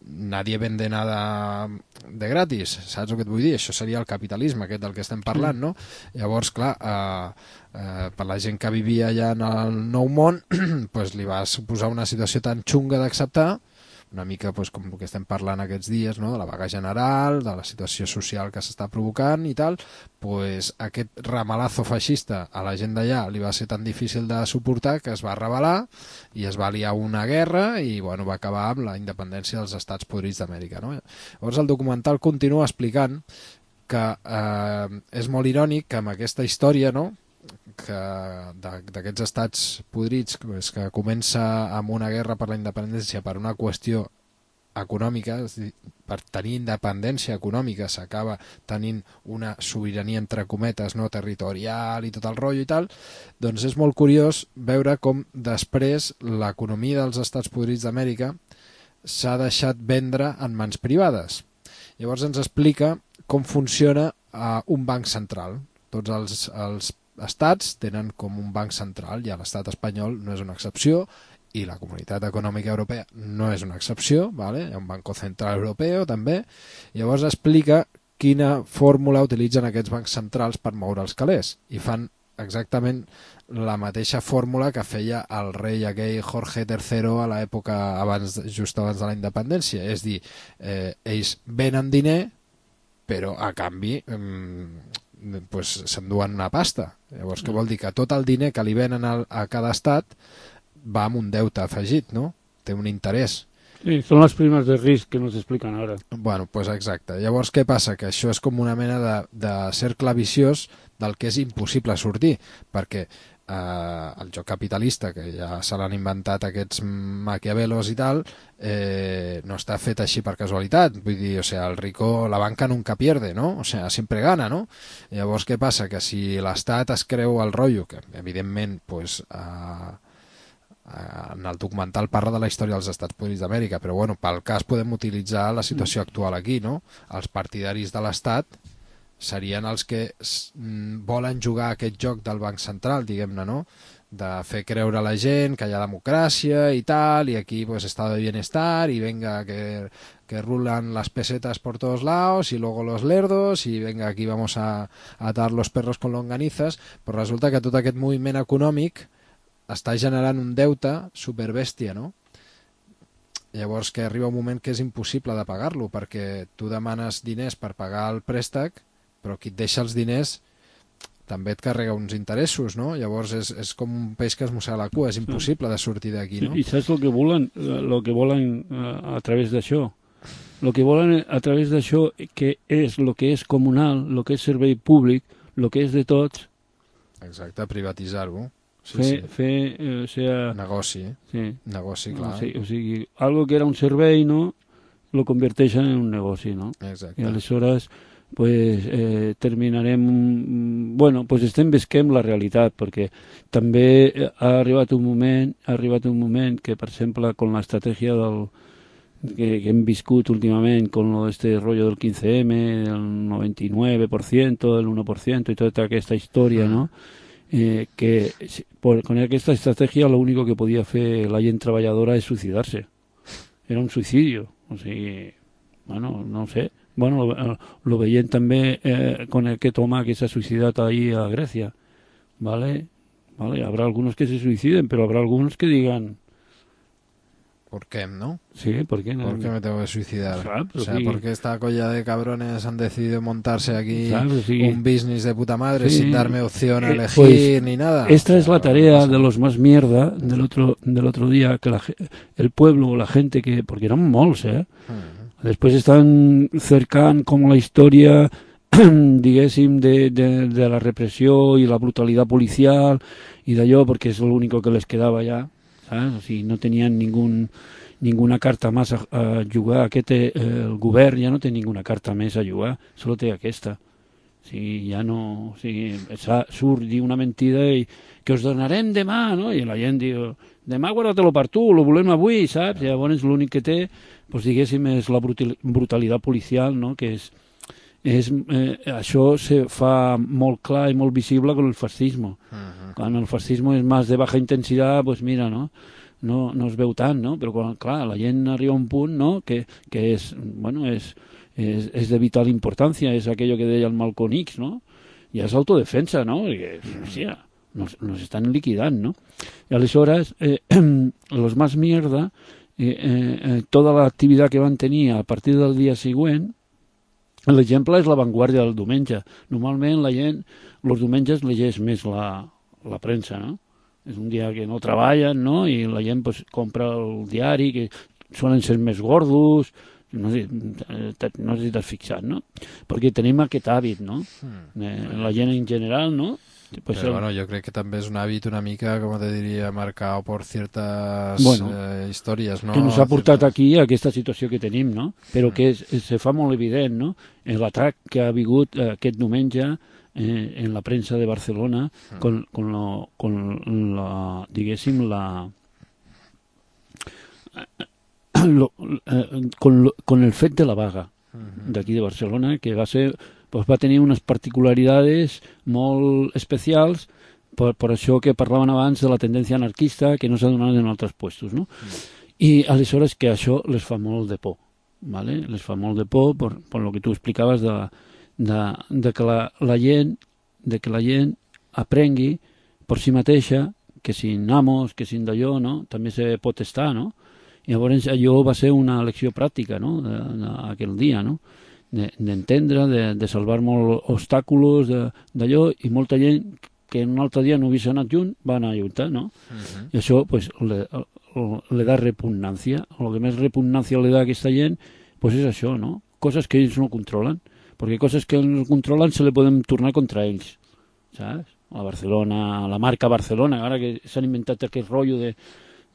nadie vende nada de gratis, saps el que et vull dir? Això seria el capitalisme, aquest del que estem parlant, no? Llavors, clar, per la gent que vivia allà en el Nou Món, pues, li va suposar una situació tan xunga d'acceptar, una mica pues, com el que estem parlant aquests dies, no? De la vaga general, de la situació social que s'està provocant i tal, pues, aquest ramalazo feixista a la gent d'allà li va ser tan difícil de suportar que es va rebel·lar i es va liar una guerra i bueno, va acabar amb la independència dels Estats Podrits d'Amèrica, no? Llavors el documental continua explicant que és molt irònic que amb aquesta història, no? D'aquests estats podrits que comença amb una guerra per la independència per una qüestió econòmica, és a dir, per tenir independència econòmica s'acaba tenint una sobirania entre cometes no territorial i tot el rotllo i tal, doncs és molt curiós veure com després l'economia dels estats podrits d'Amèrica s'ha deixat vendre en mans privades. Llavors ens explica com funciona un banc central. Tots els estats tenen com un banc central, i l'estat espanyol no és una excepció, i la Comunitat Econòmica Europea no és una excepció, ¿vale? Hi ha un Banco Central Europeu també. Llavors explica quina fórmula utilitzen aquests bancs centrals per moure els calés, i fan exactament la mateixa fórmula que feia el rei aquell Jorge III a l'època just abans de la independència, és dir, ells venen diner però a canvi pues, s'enduen una pasta. Llavors, què vol dir? Que tot el diner que li venen a cada estat va amb un deute afegit, no? Té un interès. Sí, són les primes de risc que nos expliquen ara. Bueno, pues exacte. Llavors, què passa? Que això és com una mena de cercle viciós del que és impossible sortir, perquè el joc capitalista, que ja se l'han inventat aquests maquiavelos i tal, no està fet així per casualitat. Vull dir, o sea, el rico, la banca nunca pierde, ¿no? O sea, siempre gana, ¿no? Llavors, què passa? Que si l'Estat es creu el rotllo, que evidentment pues, en el documental parla de la història dels Estats Units d'Amèrica, però bueno, pel cas podem utilitzar la situació actual aquí, no? Els partidaris de l'Estat serien els que volen jugar aquest joc del Banc Central, diguem-ne, no? De fer creure a la gent que hi ha democràcia i tal, i aquí pues estado de bienestar, y venga que rulan las pesetas por todos lados, y luego los lerdos, y venga aquí vamos a atar los perros con longanizas, però resulta que tot aquest moviment econòmic està generant un deute superbèstia, no? Llavors que arriba un moment que és impossible de pagar-lo, perquè tu demanes diners per pagar el préstec, però qui et deixa els diners també et carrega uns interessos, no? Llavors és com un peix que es mossega la cua, és impossible de sortir d'aquí, no? I saps el que volen a través d'això? El que volen a través d'això, que és el que és comunal, el que és servei públic, el que és de tots. Exacte, privatitzar-ho. Fer negoci. Sí. Negoci, clar. O sigui, algo que era un servei, no? Lo converteixen en un negoci, no? Exacte. I aleshores pues terminarem, bueno, pues estem visquem la realitat, perquè també ha arribat un moment que, per exemple, con l'estratègia que hem viscut últimament con este rollo del 15M, del 99%, del 1% y toda esta historia, ¿no? Que con aquesta estratègia lo único que podia fer la gent treballadora és suïcidar-se. Era un suïcidio. O sigui, bueno, no sé. Bueno, lo veiem també con aquest home que s'ha suïcidat ahí a Grècia. ¿Vale? Habrá algunos que se suiciden, pero habrá algunos que digan... ¿Por qué, no? Sí, ¿por qué no? ¿Por qué me tengo que suicidar? Claro, o sea, sí. porque esta colla de cabrones han decidido montarse aquí Claro, sí. un business de puta madre sin darme opción a elegir pues, ni nada. Esta es la tarea de los más mierda del otro día, que el pueblo, la gente que... Porque eran molts, Després estan cercant com la història, diguéssim, de la repressió i la brutalitat policial i d'allò, perquè és l'únic que les quedava ja, saps? O sigui, no tenien ninguna carta més a jugar. El govern ja no té ninguna carta més a jugar, solo té aquesta. O sigui, ja no... O sigui, surt, diu una mentida i que us donarem demà, no? I la gent diu... Demà guarda-te-lo per tu, lo volem avui, saps? Llavors l'únic que té, doncs, diguéssim, és la brutalitat policial, no? Que això se fa molt clar i molt visible con el fascismo. Quan el fascismo és més de baja intensitat, doncs mira, no es veu tant, no? Però quan, clar, la gent arriba a un punt, no? Que és, bueno, és de vital importància, és aquello que deia el Malcolm X, no? I és autodefensa, no? Perquè, hòstia, nos están liquidant, no? Y aleshores, los más mierda, toda la activitat que van tenir a partir del dia següent, l'exemple és la Vanguardia del diumenge. Normalment la gent, els diumenges llegeix més la premsa, no? És un dia que no treballen, no? I la gent pues, compra el diari, que solen ser més gordos, no sé si t'has fixat, no? Perquè tenim aquest hàbit, no? La gent en general, no? Pues pero bueno, yo creo que también es un hábito una mica, como te diría, marcado por ciertas historias, ¿no? Que nos ha portat aquí a aquesta situació que tenim, no? Però que se fa molt evident, no? L'atac que ha hagut aquest diumenge en la premsa de Barcelona con el fet de la vaga d'aquí de Barcelona, que va ser... Pues va tenir unes particularitats molt especials per això que parlaven abans de la tendència anarquista que no s'ha donat en altres puestos, no? I aleshores que això les fa molt de por, ¿vale? Les fa molt de por per lo que tu explicaves de que la gent aprengui per si mateixa que sin amos, que sin d'allò, no? També se pot estar, no? I llavors allò va ser una lecció pràctica, no? Aquell dia, no? D'entendre, de salvar molts obstàculos d'allò, i molta gent que un altre dia no hagués anat junt va anar junta, no? I això pues, le da repugnància. El que més repugnància le da a aquesta gent pues és això, no? Coses que ells no controlen, perquè coses que ells no controlen se le poden tornar contra ells, saps? A Barcelona, la marca Barcelona, ara que s'han inventat aquest rotllo de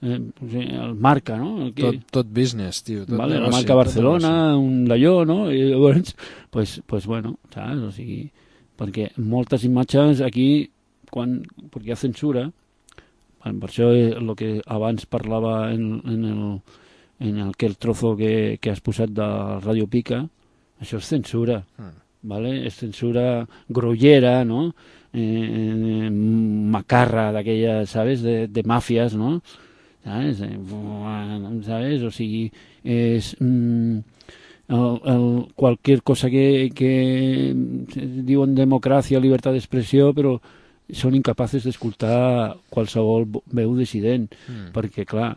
el marca, no? Tot business, tio. Vale, la marca Barcelona, un d'allò, no? I llavors, pues bueno, saps? O sigui, perquè moltes imatges aquí, quan hi ha censura, Per això el que abans parlava en aquell trozo que has posat de Radio Pica, això és censura, ¿vale? És censura grollera, no? Macarra d'aquella, ¿sabes? De màfies, no? ¿Sabes? ¿Sabes? O sigui, és... cualquier cosa que diuen democràcia, llibertat d'expressió, però són incapaces d'escoltar qualsevol veu dissident, perquè clar,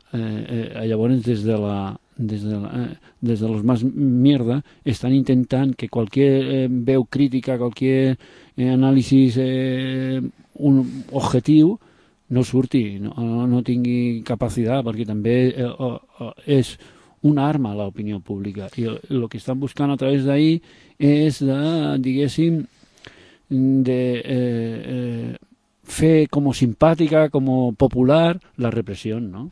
llavors des de los más mierda estan intentant que qualsevol veu crítica, qualsevol anàlisi objectiu no surti, no tingui capacitat, perquè també és una arma a l'opinió pública, i el que estan buscant a través d'ahir és diguéssim, fer com simpàtica, com popular la repressió, no?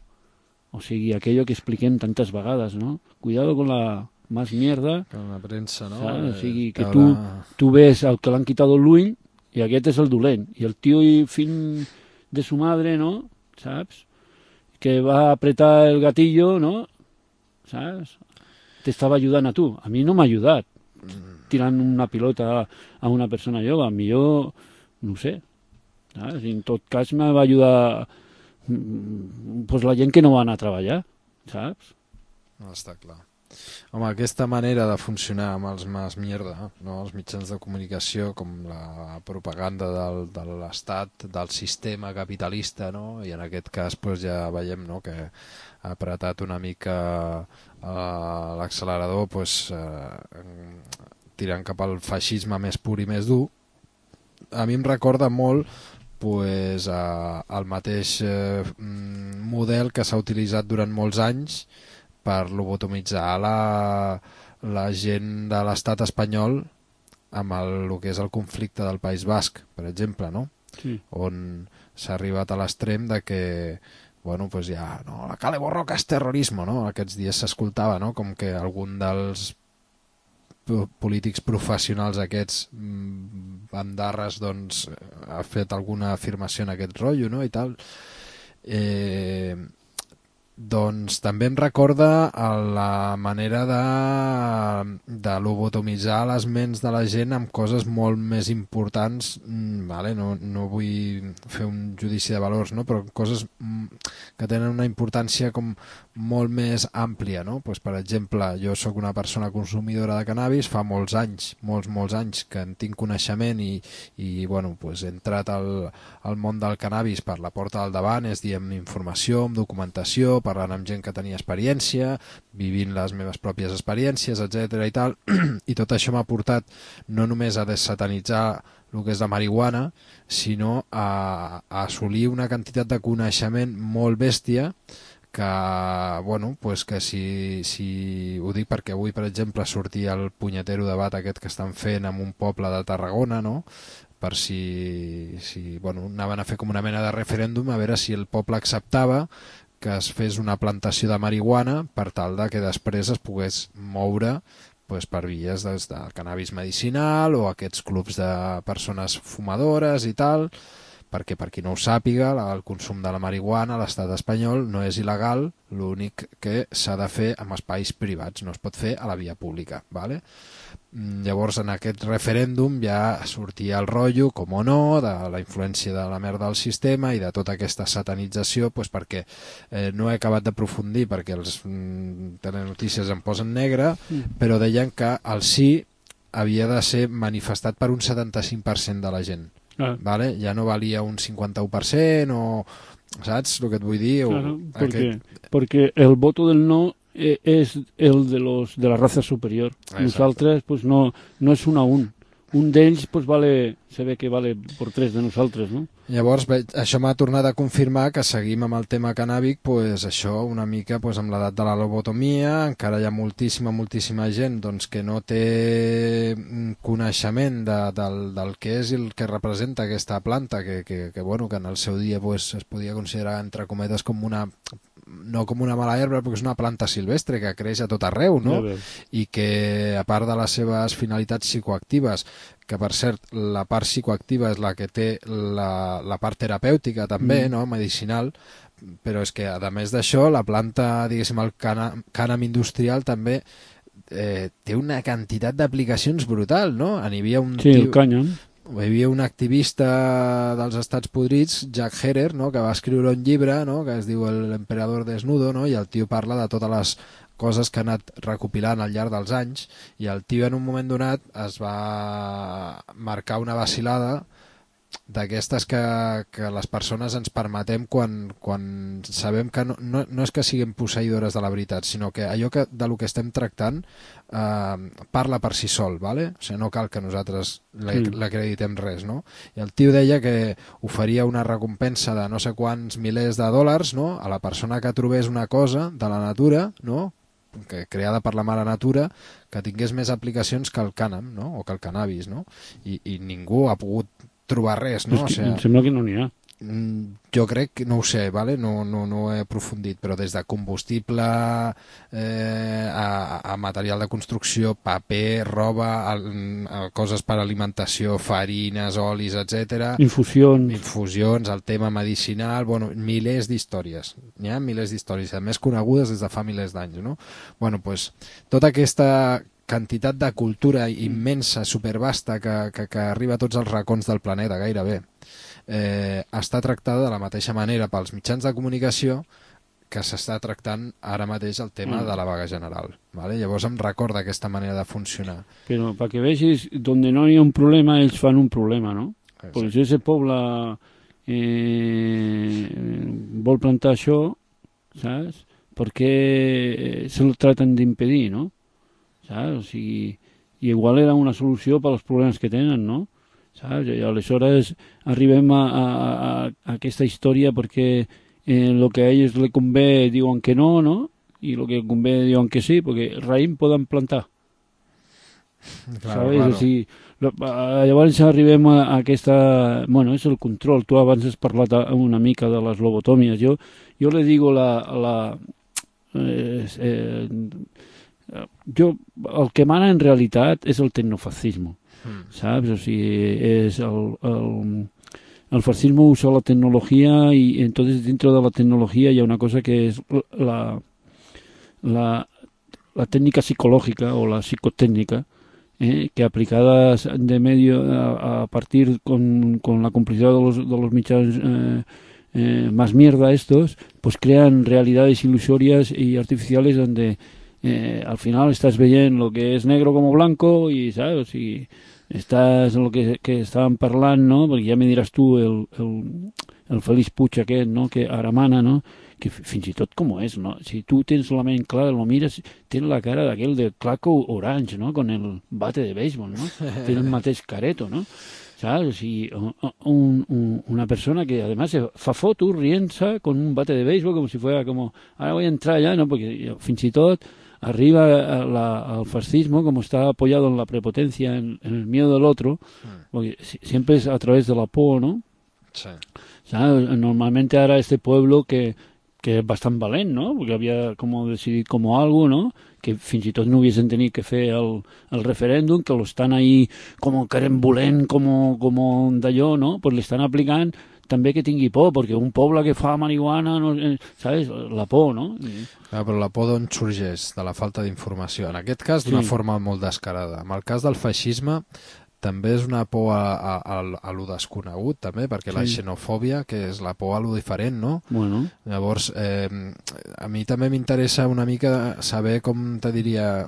O sigui, aquello que expliquem tantes vegades, no? Cuidado con la más mierda. Con la premsa, no? O sigui, que tu ves el que l'han quitat l'ull i aquest és el dolent. I el tio i fill de su madre, no? Saps? Que va apretar el gatillo, no? ¿Sabes? Te estaba ayudando a tu. A mí no m'ha ajudat tirant una pilota a una persona jove. A mi jo, no ho sé. ¿Sabes? En tot cas me va ajudar pues, la gent que no va anar a treballar, saps? No, està clar. Home, aquesta manera de funcionar amb els mas mierda, no? Els mitjans de comunicació, com la propaganda de l'Estat, del sistema capitalista, no? I en aquest cas pues, ja veiem, no? Que ha apretat una mica l'accelerador pues, tirant cap al feixisme més pur i més dur. A mi em recorda molt pues, el mateix model que s'ha utilitzat durant molts anys per lobotomitzar la gent de l'estat espanyol amb el que és el conflicte del País Basc, per exemple, no? Sí. On s'ha arribat a l'extrem de que bueno, pues ja, no, la Kale Borroka és terrorisme, no? Aquests dies s'escoltava, no? Com que algun dels polítics professionals aquests bandarres doncs, ha fet alguna afirmació en aquest rotllo, no? I tal. Doncs també em recorda la manera de lobotomitzar les ments de la gent amb coses molt més importants, vale? No vull fer un judici de valors, no? Però coses que tenen una importància com molt més àmplia, no? Pues, per exemple, jo sóc una persona consumidora de cannabis, fa molts anys que en tinc coneixement i bueno, pues, he entrat al món del cannabis per la porta del davant, és dir, amb informació, amb documentació, parlant amb gent que tenia experiència, vivint les meves pròpies experiències, etc. i tal, i tot això m'ha portat no només a desatanitzar el que és la marihuana, sinó a assolir una quantitat de coneixement molt bèstia que, bueno, pues que si ho dic perquè avui, per exemple, sortia el punyetero debat aquest que estan fent en un poble de Tarragona, no?, per si bueno, anaven a fer com una mena de referèndum a veure si el poble acceptava que es fes una plantació de marihuana per tal de que després es pogués moure pues, per vies del cannabis medicinal o aquests clubs de persones fumadores i tal, perquè per qui no ho sàpiga, el consum de la marihuana a l'estat espanyol no és il·legal, l'únic que s'ha de fer en espais privats, no es pot fer a la via pública, ¿vale? Llavors en aquest referèndum ja sortia el rotllo, com o no, de la influència de la merda del sistema i de tota aquesta satanització, pues perquè no he acabat d'aprofundir perquè els telenotícies em posen negre, però deien que el sí havia de ser manifestat per un 75% de la gent. ¿Vale? Ja no valia un 51% o... ¿Saps el que et vull dir? Claro, porque el voto del no es el de la raza superior. Exacte. Nosaltres pues, no és un a un. Un d'ells pues, se ve que vale por 3 de nosaltres, no? Llavors això m'ha tornat a confirmar que seguim amb el tema cannàbic, pues, això una mica pues, amb l'edat de la lobotomia, encara hi ha moltíssima gent doncs, que no té coneixement del que és i el que representa aquesta planta, que en el seu dia pues, es podia considerar entre cometes com una no com una mala herba, perquè és una planta silvestre que creix a tot arreu, no? Ja veus. I que, a part de les seves finalitats psicoactives, que per cert, la part psicoactiva és la que té la part terapèutica també, no? Medicinal, però és que, a més d'això, la planta, diguéssim, el cànem industrial també té una quantitat d'aplicacions brutal, no? Hi havia un Sí, el cànyam. hi havia un activista dels Estats Podrits, Jack Herer, no? Que va escriure un llibre, no? Que es diu El emperador desnudo, no? I el tio parla de totes les coses que ha anat recopilant al llarg dels anys, i el tio en un moment donat es va marcar una vacilada d'aquestes que les persones ens permetem quan sabem que no és que siguem posseïdores de la veritat, sinó que allò de lo que estem tractant parla per si sol, ¿vale? O sigui, no cal que nosaltres l'acreditem res, no? I el tio deia que oferia una recompensa de no sé quants milers de dòlars, no? A la persona que trobés una cosa de la natura, no? Creada per la mare natura, que tingués més aplicacions que el cànem, no? O que el cannabis, no? I ningú ha pogut trobar res, no? O sigui, em sembla que no n'hi ha. Jo crec que, no ho sé, ¿vale? No he aprofundit, però des de combustible a material de construcció, paper, roba, coses per alimentació, farines, olis, etc. Infusions, el tema medicinal, bueno, milers d'històries. N'hi ha milers d'històries, a més conegudes des de fa milers d'anys, no? Bueno, doncs, tota aquesta quantitat de cultura immensa, supervasta, que arriba a tots els racons del planeta, gairebé, està tractada de la mateixa manera pels mitjans de comunicació que s'està tractant ara mateix el tema de la vaga general, ¿vale? Llavors em recorda aquesta manera de funcionar. Però perquè vegis, donde no hi ha un problema, ells fan un problema, no? Exacte. Pues ese poble vol plantar això, saps? Perquè se lo traten d'impedir, no? Saps? O sigui, i igual era una solució per als problemes que tenen, no? Saps? I aleshores arribem a aquesta història perquè el que a ells li convé diuen que no, no? I el que convé diuen que sí, perquè raïm poden plantar. Claro, ¿sabes? claro. O sigui, llavors arribem a aquesta... Bueno, és el control. Tu abans has parlat una mica de les lobotòmies. Jo le digo el que mana en realitat és el tecnofascismo, ¿sabes? O sigui, es el fascismo usa la tecnología y entonces dentro de la tecnología hay una cosa que es la técnica psicológica o la psicotécnica, que aplicadas de medio a partir con la complicidad de los michas más mierda estos, pues crean realidades ilusorias y artificiales donde al final estás veient lo que és negro como blanco i, saps? O sigui, estàs en el que estàvem parlant, no? Perquè ja me diràs tu el Félix Puig aquest, no? Que ara mana, no? Que fins i tot com és, no? Si tu tens la ment clara, lo mires, tens la cara d'aquell de Claco Orange, no? Con el bate de béisbol, no? Té el mateix careto, no? ¿Sabes? O sigui, una persona que además se fa fotos riendo con un bate de béisbol como si fuera como, ahora voy a entrar ya, ¿no? Porque fins i tot arriba al fascismo, como está apoyado en la prepotencia, en el miedo del otro, porque siempre es a través de la por, ¿no? Sí. ¿Sabes? Normalmente ahora este pueblo que es bastant valent, no? Perquè havia com decidit com algo, no? Que fins i tot no haguessin tenir que fer el referèndum, que lo estan ahí com querem volent, com d'allò, no? Pues l'estan aplicant també que tingui por, perquè un poble que fa marihuana, no, ¿sabes? La por, no? Però la por d'on sorgeix? De la falta d'informació. En aquest cas, d'una forma molt descarada. En el cas del feixisme, també és una por a lo desconegut, també, perquè la xenofòbia, que és la por a lo diferent, no? Bueno. Llavors, a mi també m'interessa una mica saber com, te diria,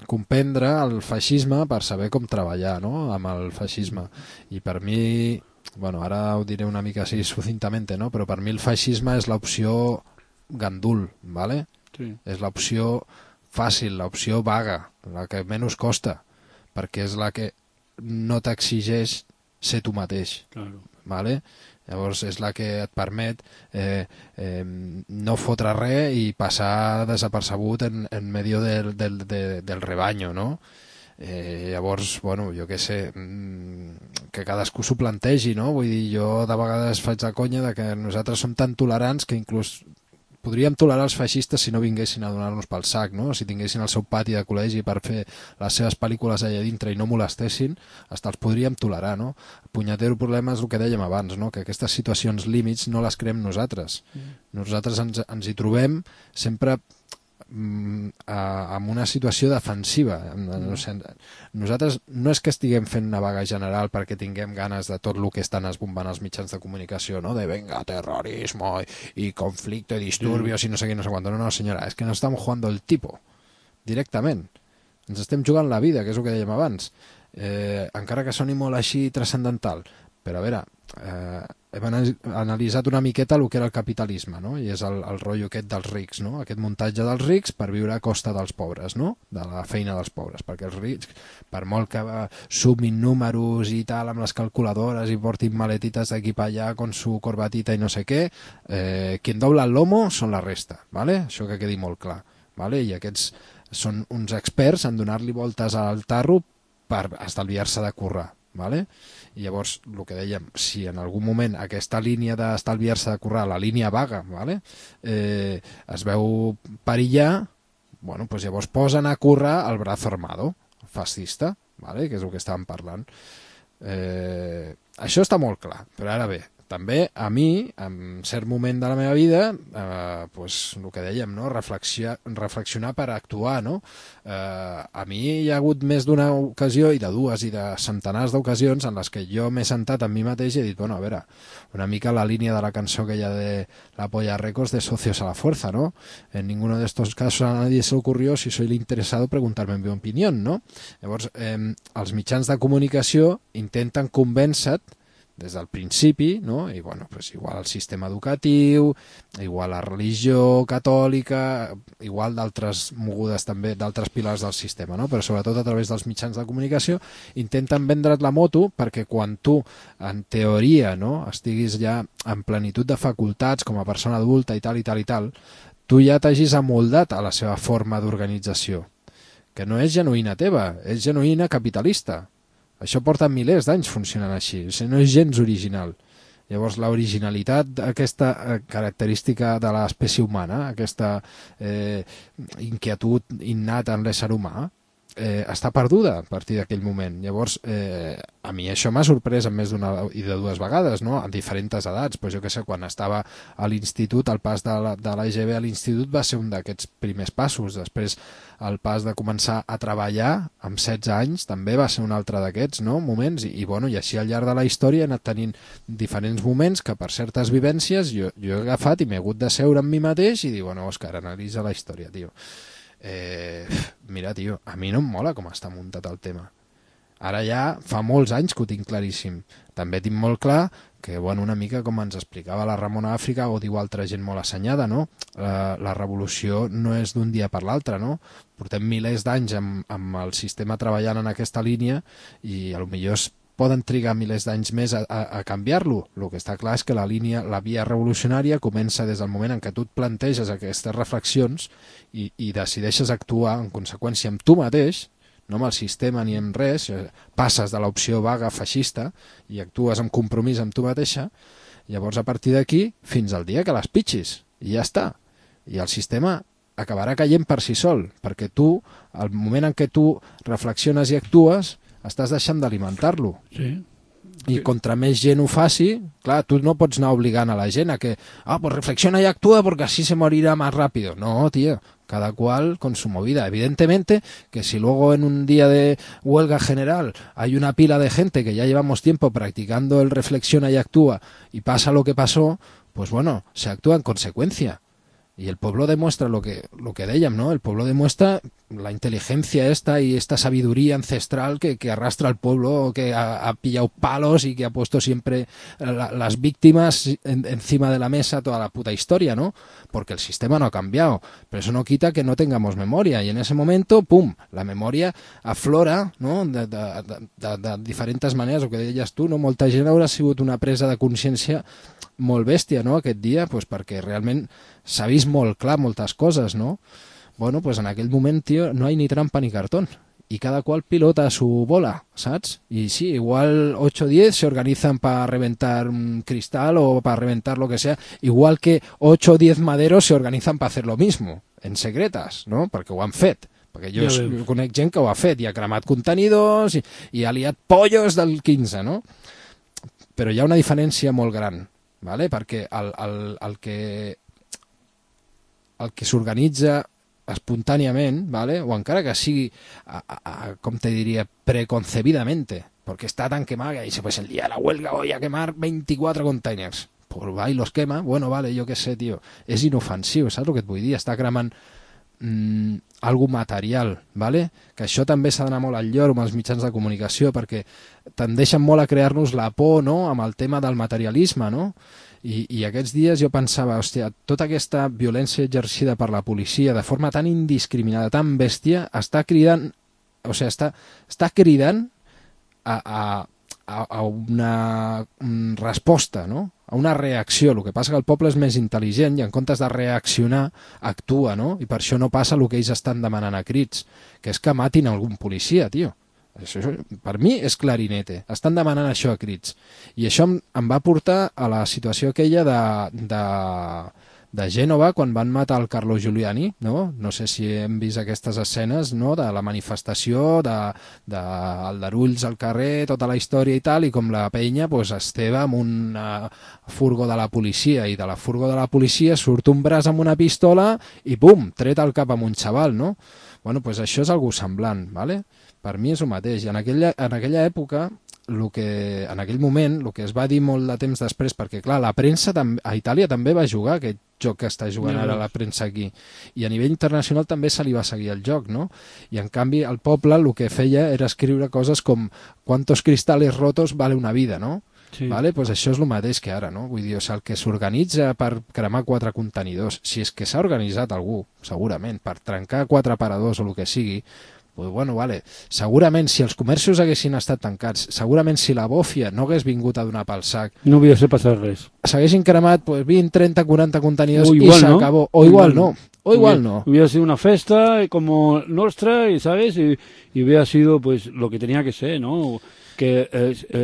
comprendre el feixisme per saber com treballar, no?, amb el feixisme. I per mi, bueno, ara ho diré una mica així sucintamente, no?, però per mi el feixisme és l'opció gandul, ¿vale? Sí. És l'opció fàcil, l'opció vaga, la que menys costa, perquè és la que no t'exigeix ser tu mateix. Claro. ¿Vale? Llavors és la que et permet no fotre res i passar desapercebut en medio del rebaño, no? Llavors, bueno, jo què sé, que cadascú s'ho plantegi, no? Vull dir, jo de vegades faig la conya de que nosaltres som tan tolerants que inclús podríem tolerar els feixistes si no vinguessin a donar-nos pel sac, no? Si tinguessin el seu pati de col·legi per fer les seves pel·lícules allà dintre i no molestessin, hasta els podríem tolerar, no? El punyetero problema és el que dèiem abans, no? Que aquestes situacions límits no les creem nosaltres. Nosaltres ens hi trobem sempre en una situació defensiva. No sé, nosaltres no és que estiguem fent una vaga general perquè tinguem ganes de tot el que estan esbombant els mitjans de comunicació, no? De venga, terrorismo y conflicto y disturbios y no sé qué, no sé cuánto. No, senyora, és que nos estamos jugando el tipo directament. Ens estem jugant la vida, que és el que dèiem abans. Encara que soni molt així transcendental, però a veure, hem analitzat una miqueta el que era el capitalisme, no? I és el rotllo aquest dels rics, no? Aquest muntatge dels rics per viure a costa dels pobres, no? De la feina dels pobres, perquè els rics, per molt que sumin números i tal amb les calculadores i portin maletites d'aquí per allà con su corbatita i no sé què, quien dobla el lomo són la resta, ¿vale? Això que quedi molt clar, ¿vale? I aquests són uns experts en donar-li voltes al tarro per estalviar-se de currar, ¿vale? I llavors, el que dèiem, si en algun moment aquesta línia d'estalviar-se de currar, la línia vaga, ¿vale? Es veu perillar, bueno, pues llavors posen a currar el brazo armado fascista, ¿vale? Que és el que estàvem parlant. Això està molt clar, però ara bé, també a mi, en cert moment de la meva vida, pues, el que dèiem, no? Reflexionar per actuar, no? A mi hi ha hagut més d'una ocasió, i de dues i de centenars d'ocasions, en les que jo m'he sentat amb mi mateix i he dit, bueno, a veure, una mica la línia de la cançó que hi ha de la Polla Records de Socios a la Fuerza, ¿no? En ninguno de estos casos a nadie se le ocurrió, si soy el interesado, preguntarme mi opinión, ¿no? Llavors, els mitjans de comunicació intenten convèncer des del principi, no? I bueno, pues igual el sistema educatiu, igual la religió catòlica, igual d'altres mogudes també, d'altres pilars del sistema, no? Però sobretot a través dels mitjans de comunicació intenten vendre't la moto perquè quan tu, en teoria, no? Estiguis ja en plenitud de facultats com a persona adulta i tal, tu ja t'hagis amoldat a la seva forma d'organització, que no és genuïna teva, és genuïna capitalista. Això porta milers d'anys funcionant així, no és gens original. Llavors, l'originalitat d'aquesta característica de l'espècie humana, aquesta inquietud innata en l'ésser humà, està perduda a partir d'aquell moment. Llavors, a mi això m'ha sorprès en més d'una i de dues vegades, no? En diferents edats. Pues jo què sé, quan estava a l'institut, el pas de l'AGB a l'institut va ser un d'aquests primers passos. Després, el pas de començar a treballar amb 16 anys també va ser un altre d'aquests, no? Moments. I així al llarg de la història he anat tenint diferents moments que per certes vivències jo he agafat i m'he hagut de seure amb mi mateix i dir, bueno, Òscar, analitza la història, tio. Mira, tio, a mi no em mola com està muntat el tema. Ara ja fa molts anys que ho tinc claríssim. També tinc molt clar que, bueno, una mica com ens explicava la Ramona Àfrica, o diu altra gent molt assenyada, no? La revolució no és d'un dia per l'altre, no? Portem milers d'anys amb el sistema treballant en aquesta línia i potser poden trigar milers d'anys més a canviar-lo. El que està clar és que la via revolucionària comença des del moment en què tu et planteges aquestes reflexions i decideixes actuar en conseqüència amb tu mateix, no amb el sistema ni amb res, passes de l'opció vaga feixista i actues amb compromís amb tu mateixa, llavors a partir d'aquí fins al dia que les pitxis, i ja està. I el sistema acabarà caient per si sol, perquè tu, al moment en què tu reflexiones i actues, estàs deixant d'alimentar-lo. Sí. I contra més gent ho faci, clar, tu no pots anar obligant a la gent a que, pues reflexiona y actúa porque así se morirá más rápido. No, tío, cada cual con su movida. Evidentemente que si luego en un día de huelga general hay una pila de gente que ya llevamos tiempo practicando el reflexiona y actúa y pasa lo que pasó, pues bueno, se actúa en consecuencia. Y el pueblo demuestra lo que dèiem, ¿no? El pueblo demuestra la inteligencia esta y esta sabiduría ancestral que arrastra al pueblo, que ha pillado palos y que ha puesto siempre las víctimas encima de la mesa toda la puta historia, ¿no? Porque el sistema no ha cambiado, pero eso no quita que no tengamos memoria. Y en ese momento, pum, la memoria aflora, no? De diferents maneres, el que deies tu, no? Molta gent haurà sigut una presa de consciència molt bèstia, no?, aquest dia, pues perquè realment s'ha vist molt clar moltes coses, no? Bueno, pues en aquell moment, tio, no hay ni trampa ni cartón. y cada cual pilota su bola, ¿sabes? Y sí, igual 8 o 10 se organizan para reventar un cristal o para reventar lo que sea, igual que 8 o 10 maderos se organizan para hacer lo mismo, en secretas, no? Perquè ho han fet. Perquè jo conec gent que ho ha fet i ha cremat contenidors i ha liat pollos del 15, no? Però hi ha una diferència molt gran, ¿vale? Perquè el que s'organitza espontàniament, ¿vale? O encara que sigui, com te diria, preconcebidamente, porque está tan quemada y dice, pues el día de la huelga voy a quemar 24 containers. Pues va y los quema, bueno, vale, jo què sé, tio. És inofensiu, saps el que et vull dir? Està cremant algo material, ¿vale? Que això també s'ha d'anar molt al lloro amb els mitjans de comunicació, perquè tendeixen molt a crear-nos la por, no?, amb el tema del materialisme, no? I aquests dies jo pensava, hòstia, tota aquesta violència exercida per la policia de forma tan indiscriminada, tan bèstia, està cridant, o sigui, està cridant a una resposta, no?, a una reacció. El que passa que el poble és més intel·ligent i en comptes de reaccionar actua, no? I per això no passa el que ells estan demanant a crits, que és que matin algun policia, tio. Això, per mi és clarinete. Estan demanant això a crits. I això em va portar a la situació aquella de Gènova, quan van matar el Carlo Giuliani, no? No sé si hem vist aquestes escenes, no?, de la manifestació, d'aldarulls al carrer, tota la història i tal, i com la penya pues, esteva amb un furgó de la policia, i de la furgó de la policia surt un braç amb una pistola i pum, tret al cap amb un xaval, no? Bueno, pues això és algo semblant, ¿vale? Per mi és el mateix. I en aquella època, en aquell moment, el que es va dir molt de temps després, perquè clar, la premsa a Itàlia també va jugar aquest joc que està jugant ara la premsa aquí, i a nivell internacional també se li va seguir el joc, no? I en canvi el poble el que feia era escriure coses com «Cuántos cristales rotos vale una vida», no? Sí. Vale? Pues això és el mateix que ara, no? Vull dir, o sigui, el que s'organitza per cremar 4 contenidors, si és que s'ha organitzat algú, segurament, per trencar 4 aparadors o el que sigui, pues bueno, vale. Segurament si els comerços haguessin estat tancats, segurament si la bòfia no hagués vingut a donar pel sac, no hauria passat res. S'haguessin cremat pues, 20, 30, 40 contenidors i s'acabó. ¿No? O igual no. O igual no. Hubiera sido una festa como nuestra, y ¿sabes? Y hubiera sido pues lo que tenía que ser, ¿no? Que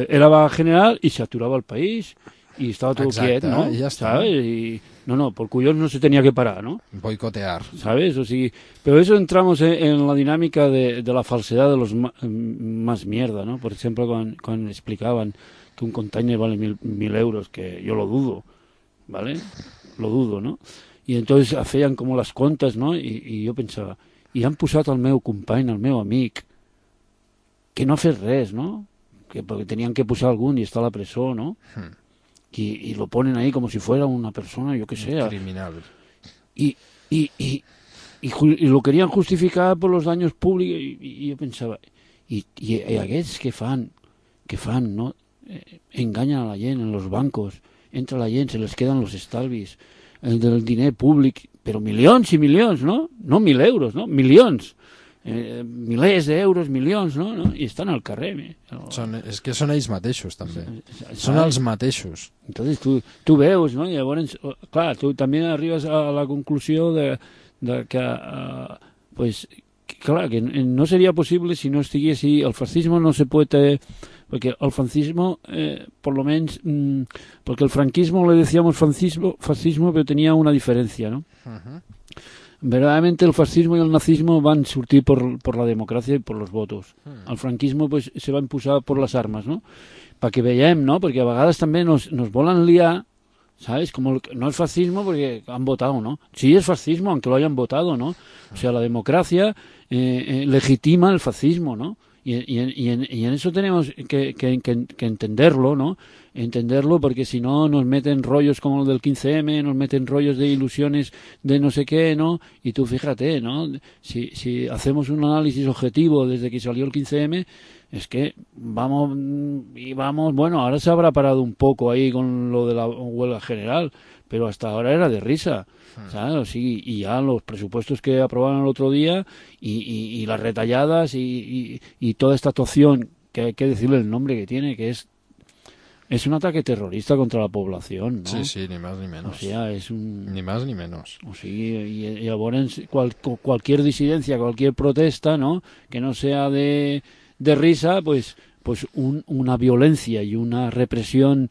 era vaga general y se aturaba el país y estaba todo quieto, ¿no? Ya está. ¿Sabes? Y no, por cuyos no se tenía que parar, ¿no? Boicotear. ¿Sabes? O sí, pero eso entramos en la dinámica de la falsedad de los más mierda, ¿no? Por ejemplo, cuando explicaban que un container vale 1.000 euros, que yo lo dudo, ¿vale? Lo dudo, ¿no? Y entonces feien como las contas, ¿no? I jo pensava, i han posat el meu company, el meu amic, que no ha fet res, ¿no? Porque tenían que posar algún y está a la presó, ¿no? Y lo ponen ahí como si fuera una persona, yo que sé. Criminal. Y lo querían justificar por los daños públicos, y yo pensaba, y aquests que fan, ¿no? Enganyen a la gent en los bancos, entra la gent, se les queden los estalvis, del diner públic, però milions i milions, no? No 1.000 euros, no? Milions. Milers d'euros, milions, no? I estan al carrer. És que són ells mateixos, també. Són els mateixos. Entonces tu veus, no? I llavors, clar, tu també arribes a la conclusió de que, pues, clar, que no sería posible si no estigués el fascismo no se puede... Porque el fascismo, por lo menos, porque el franquismo le decíamos fascismo, pero tenía una diferencia, ¿no? Verdaderamente el fascismo y el nazismo van surtir por la democracia y por los votos. El franquismo pues se va imposar por las armas, ¿no? Para que veiem, ¿no? Porque a vegades també nos volen liar, ¿sabes? Como no es fascismo porque han votado, ¿no? Sí es fascismo aunque lo hayan votado, ¿no? O sea, la democracia legitima el fascismo, ¿no? Y en eso tenemos que entenderlo, ¿no? Entenderlo, porque si no nos meten rollos como el del 15M, nos meten rollos de ilusiones de no sé qué, ¿no? Y tú fíjate, ¿no? Si hacemos un análisis objetivo desde que salió el 15M, es que vamos, bueno, ahora se habrá parado un poco ahí con lo de la huelga general, pero hasta ahora era de risa, ¿sabes? Sí, y ya los presupuestos que aprobaron el otro día y las retalladas y toda esta actuación, que hay que decirle el nombre que tiene, que es es un ataque terrorista contra la población, ¿no? Sí, sí, ni más ni menos. O sea, es un... Ni más ni menos. O sigui, y ahora cualquier disidencia, cualquier protesta, ¿no? Que no sea de risa, pues una violencia y una represión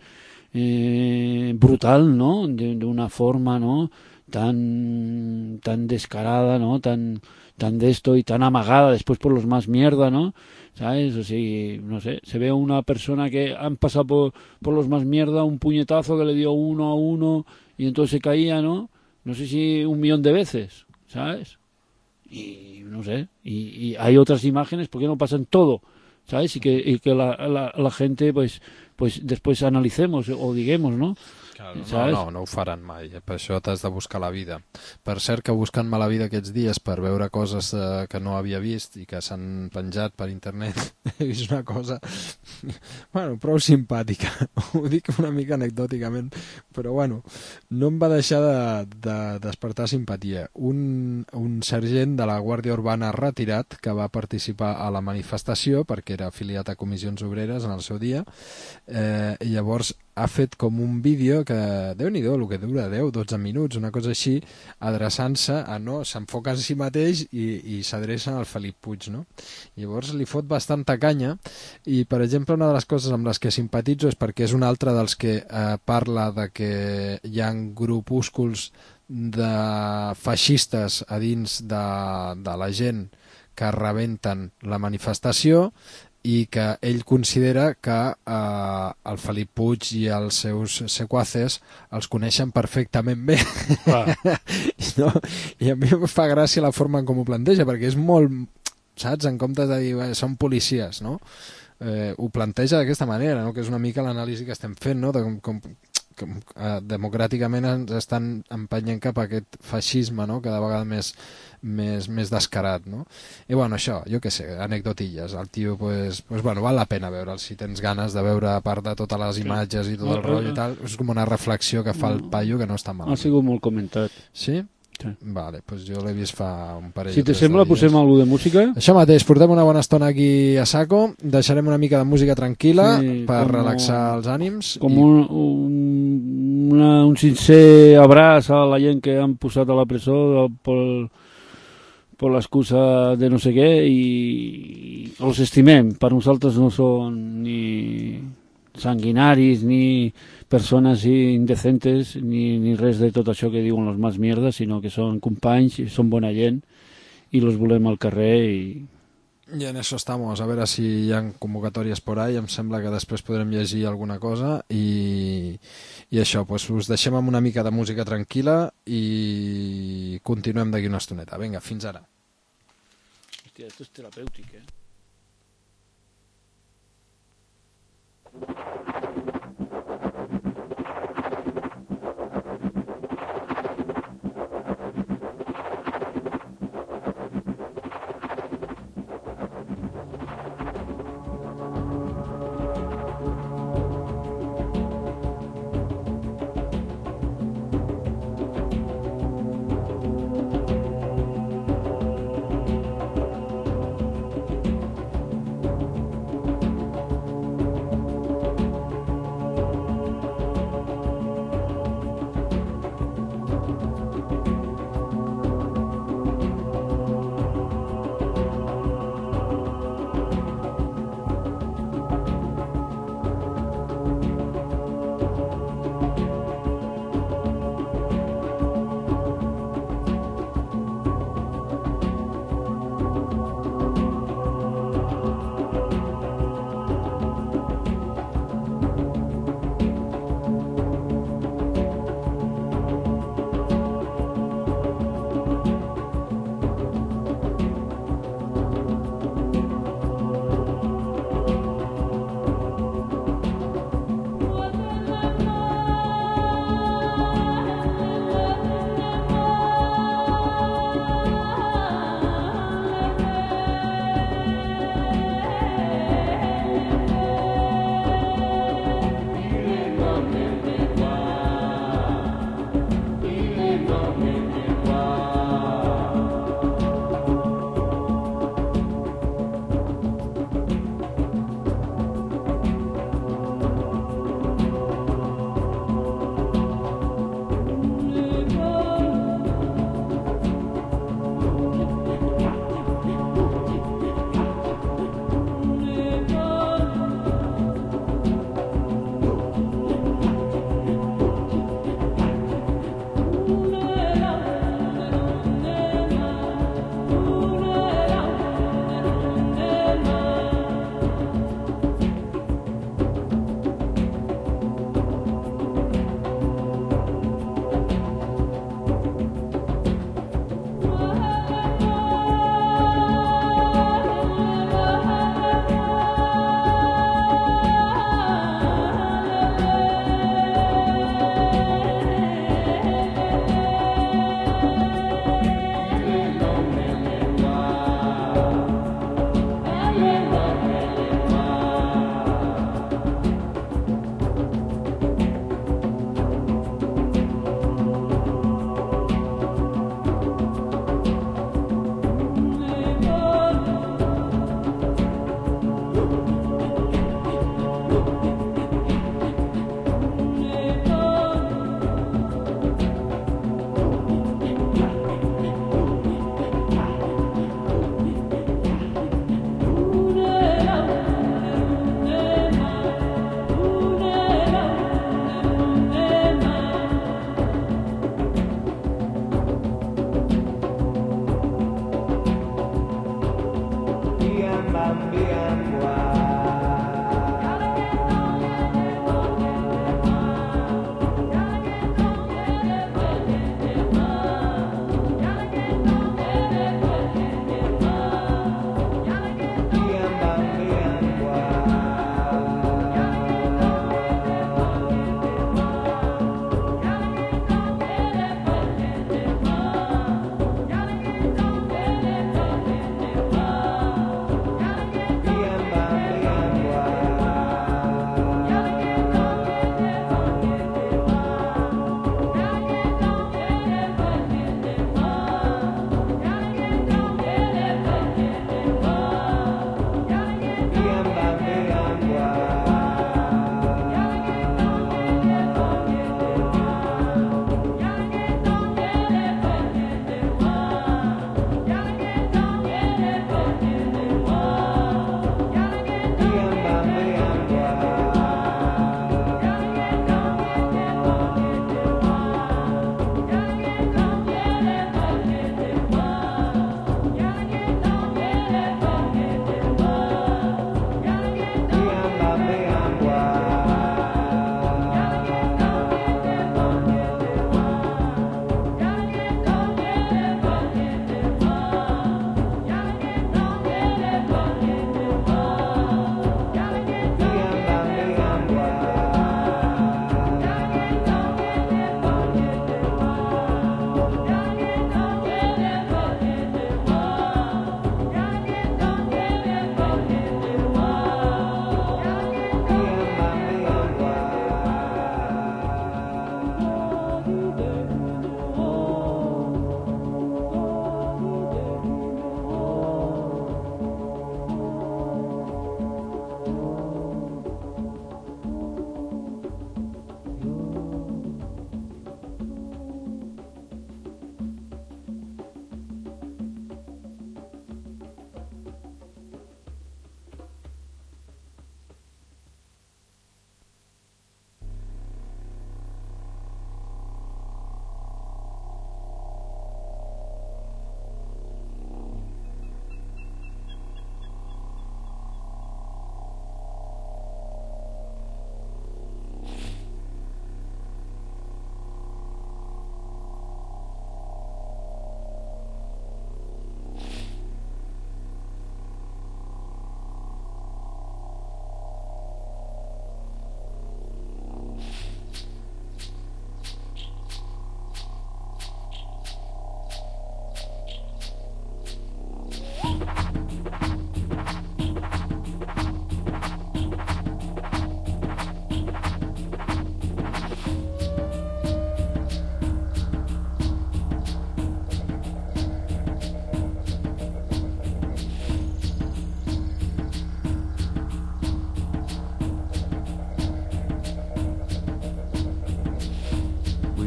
brutal, ¿no? De una forma, ¿no? Tan descarada, ¿no? Tan de esto y tan amagada después por los más mierda, ¿no? ¿Sabes? O sea, no sé, se ve a una persona que han pasado por los más mierda, un puñetazo que le dio 1-1 y entonces se caía, ¿no? No sé si 1.000.000 de veces, ¿sabes? Y no sé, y hay otras imágenes, ¿por qué no pasan todo? ¿Sabes? Y que la gente, pues después analicemos o diguemos, ¿no? Claro, no ho faran mai, per això t'has de buscar la vida. Per cert que buscant-me la vida aquests dies per veure coses que no havia vist i que s'han penjat per internet, he vist una cosa bueno, prou simpàtica, ho dic una mica anecdòticament, però bueno, no em va deixar de despertar simpatia. Un sergent de la Guàrdia Urbana retirat que va participar a la manifestació perquè era afiliat a Comissions Obreres en el seu dia, i llavors ha fet com un vídeo que, Déu-n'hi-do, el que dura 10-12 minuts, una cosa així, adreçant-se a, no, s'enfoca en si mateix i s'adreça al Felip Puig, no? Llavors li fot bastanta canya i, per exemple, una de les coses amb les que simpatitzo és perquè és un altre dels que parla de que hi ha grupúsculs de feixistes a dins de la gent que rebenten la manifestació i que ell considera que el Felip Puig i els seus sequaces els coneixen perfectament bé. No? I a mi em fa gràcia la forma com ho planteja, perquè és molt, saps, en comptes de dir són policies, no? Ho planteja d'aquesta manera, no? Que és una mica l'anàlisi que estem fent, no? De com democràticament ens estan empenyent cap a aquest feixisme, no? Cada vegada més descarat, no? I bueno, això, jo què sé, anecdotilles. El tio, pues bueno, val la pena veure'l si tens ganes de veure, a part de totes les imatges i tot el rotllo i tal, és com una reflexió que fa el paio que no està mal. Ha sigut molt comentat. Sí? Sí. Vale, pues jo l'he vist fa un parell si te sembla, posem alguna de música? Això mateix, portem una bona estona aquí a saco, deixarem una mica de música tranquil·la per relaxar els ànims. Com un sincer abraç a la gent que han posat a la presó per l'excusa de no sé què i els estimem. Per nosaltres no són ni sanguinaris ni persones indecentes ni res de tot això que diuen los más mierdas, sinó que són companys, són bona gent i los volem al carrer i en eso estamos, a veure si hi ha convocatòries por ahí, em sembla que després podrem llegir alguna cosa i això, pues us deixem amb una mica de música tranquil·la i continuem d'aquí una estoneta. Vinga, fins ara. Hòstia, esto es terapèutic,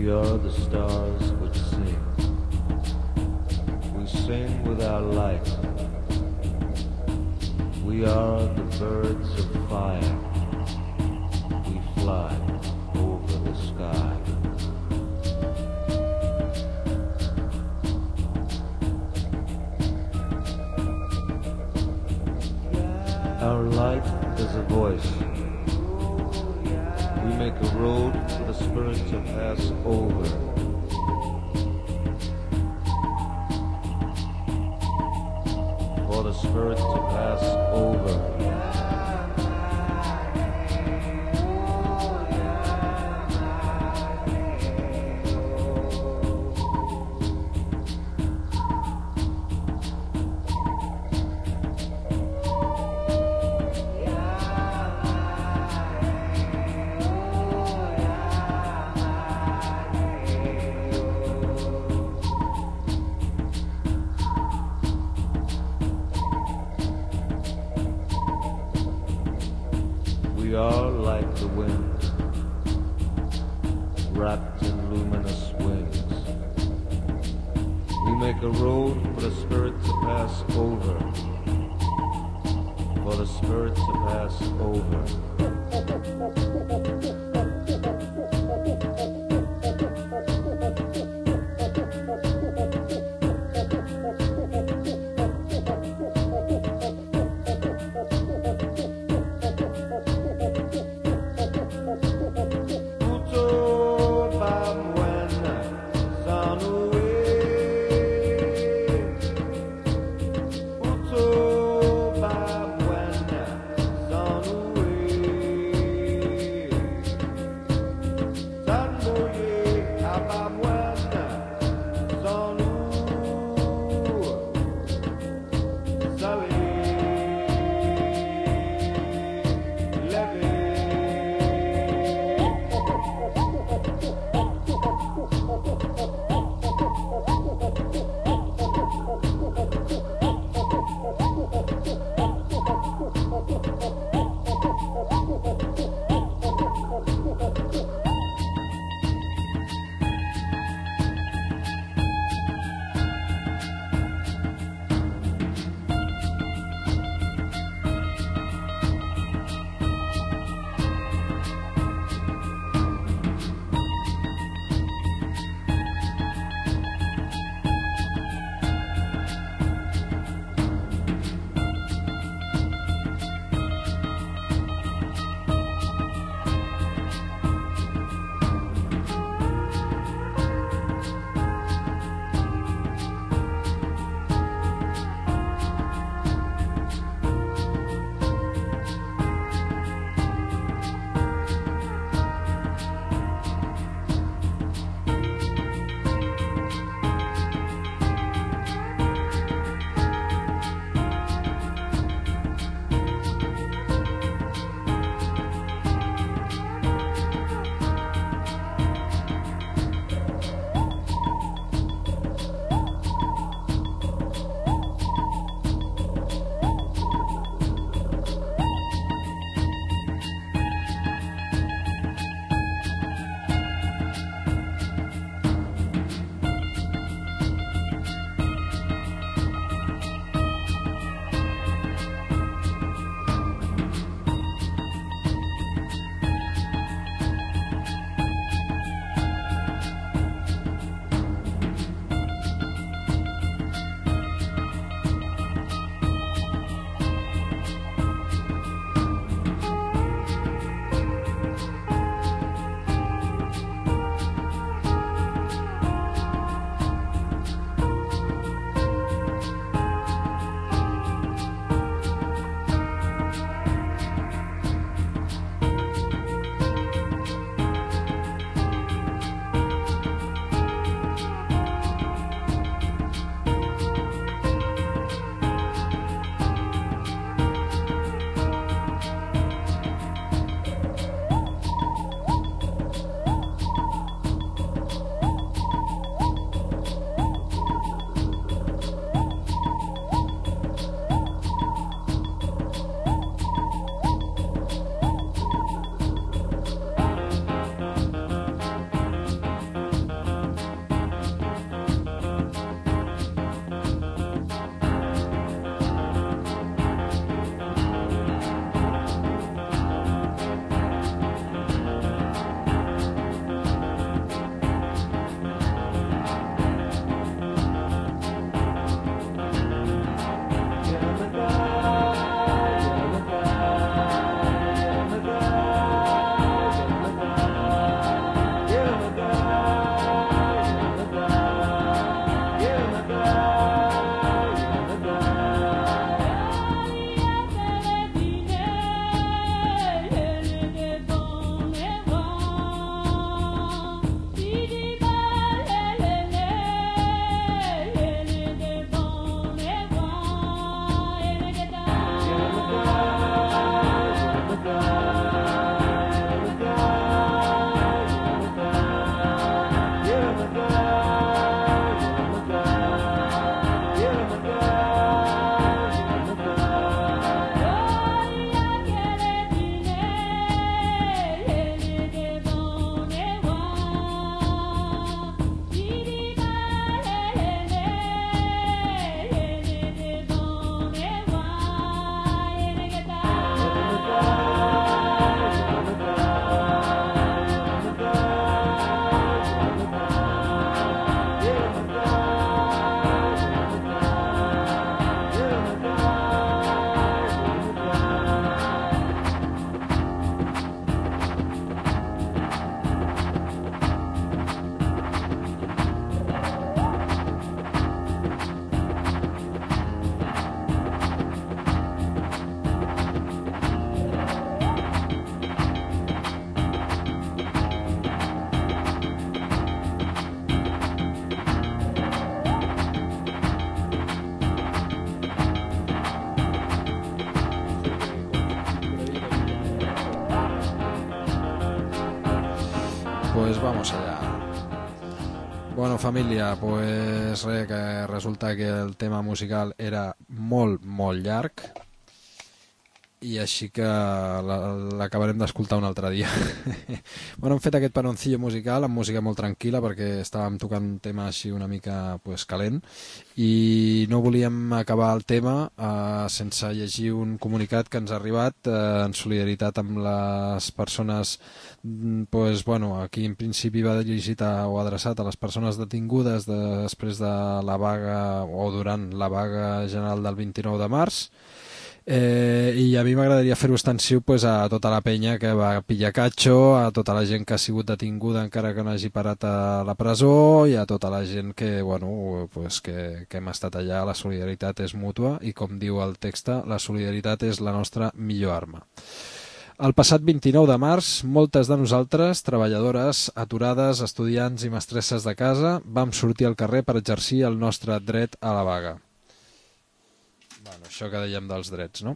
We are the stars which sing. We sing with our light. We are the birds of fire. We fly over the sky. Our light is a voice. We make a road for the spirit to pass over. For the spirit to pass over. We are like the wind, wrapped in luminous wings. We make a road for the spirit to pass over, for the spirit to pass over. pues vamos allá. Bueno, família, pues res, que resulta que el tema musical era molt, molt llarg i així que l'acabarem d'escoltar un altre dia. Bueno, hem fet aquest panoncillo musical amb música molt tranquil·la perquè estàvem tocant un tema així una mica pues, calent i no volíem acabar el tema sense llegir un comunicat que ens ha arribat en solidaritat amb les persones pues, bueno, aquí en principi va dirigit o adreçat a les persones detingudes després de la vaga o durant la vaga general del 29 de març. I a mi m'agradaria fer-ho extensiu pues, a tota la penya que va pillar catxo, a tota la gent que ha sigut detinguda encara que no hagi parat a la presó i a tota la gent que, bueno, pues, que hem estat allà. La solidaritat és mútua i, com diu el text, la solidaritat és la nostra millor arma. El passat 29 de març, moltes de nosaltres, treballadores, aturades, estudiants i mestresses de casa, vam sortir al carrer per exercir el nostre dret a la vaga. Bueno, això que dèiem dels drets, no?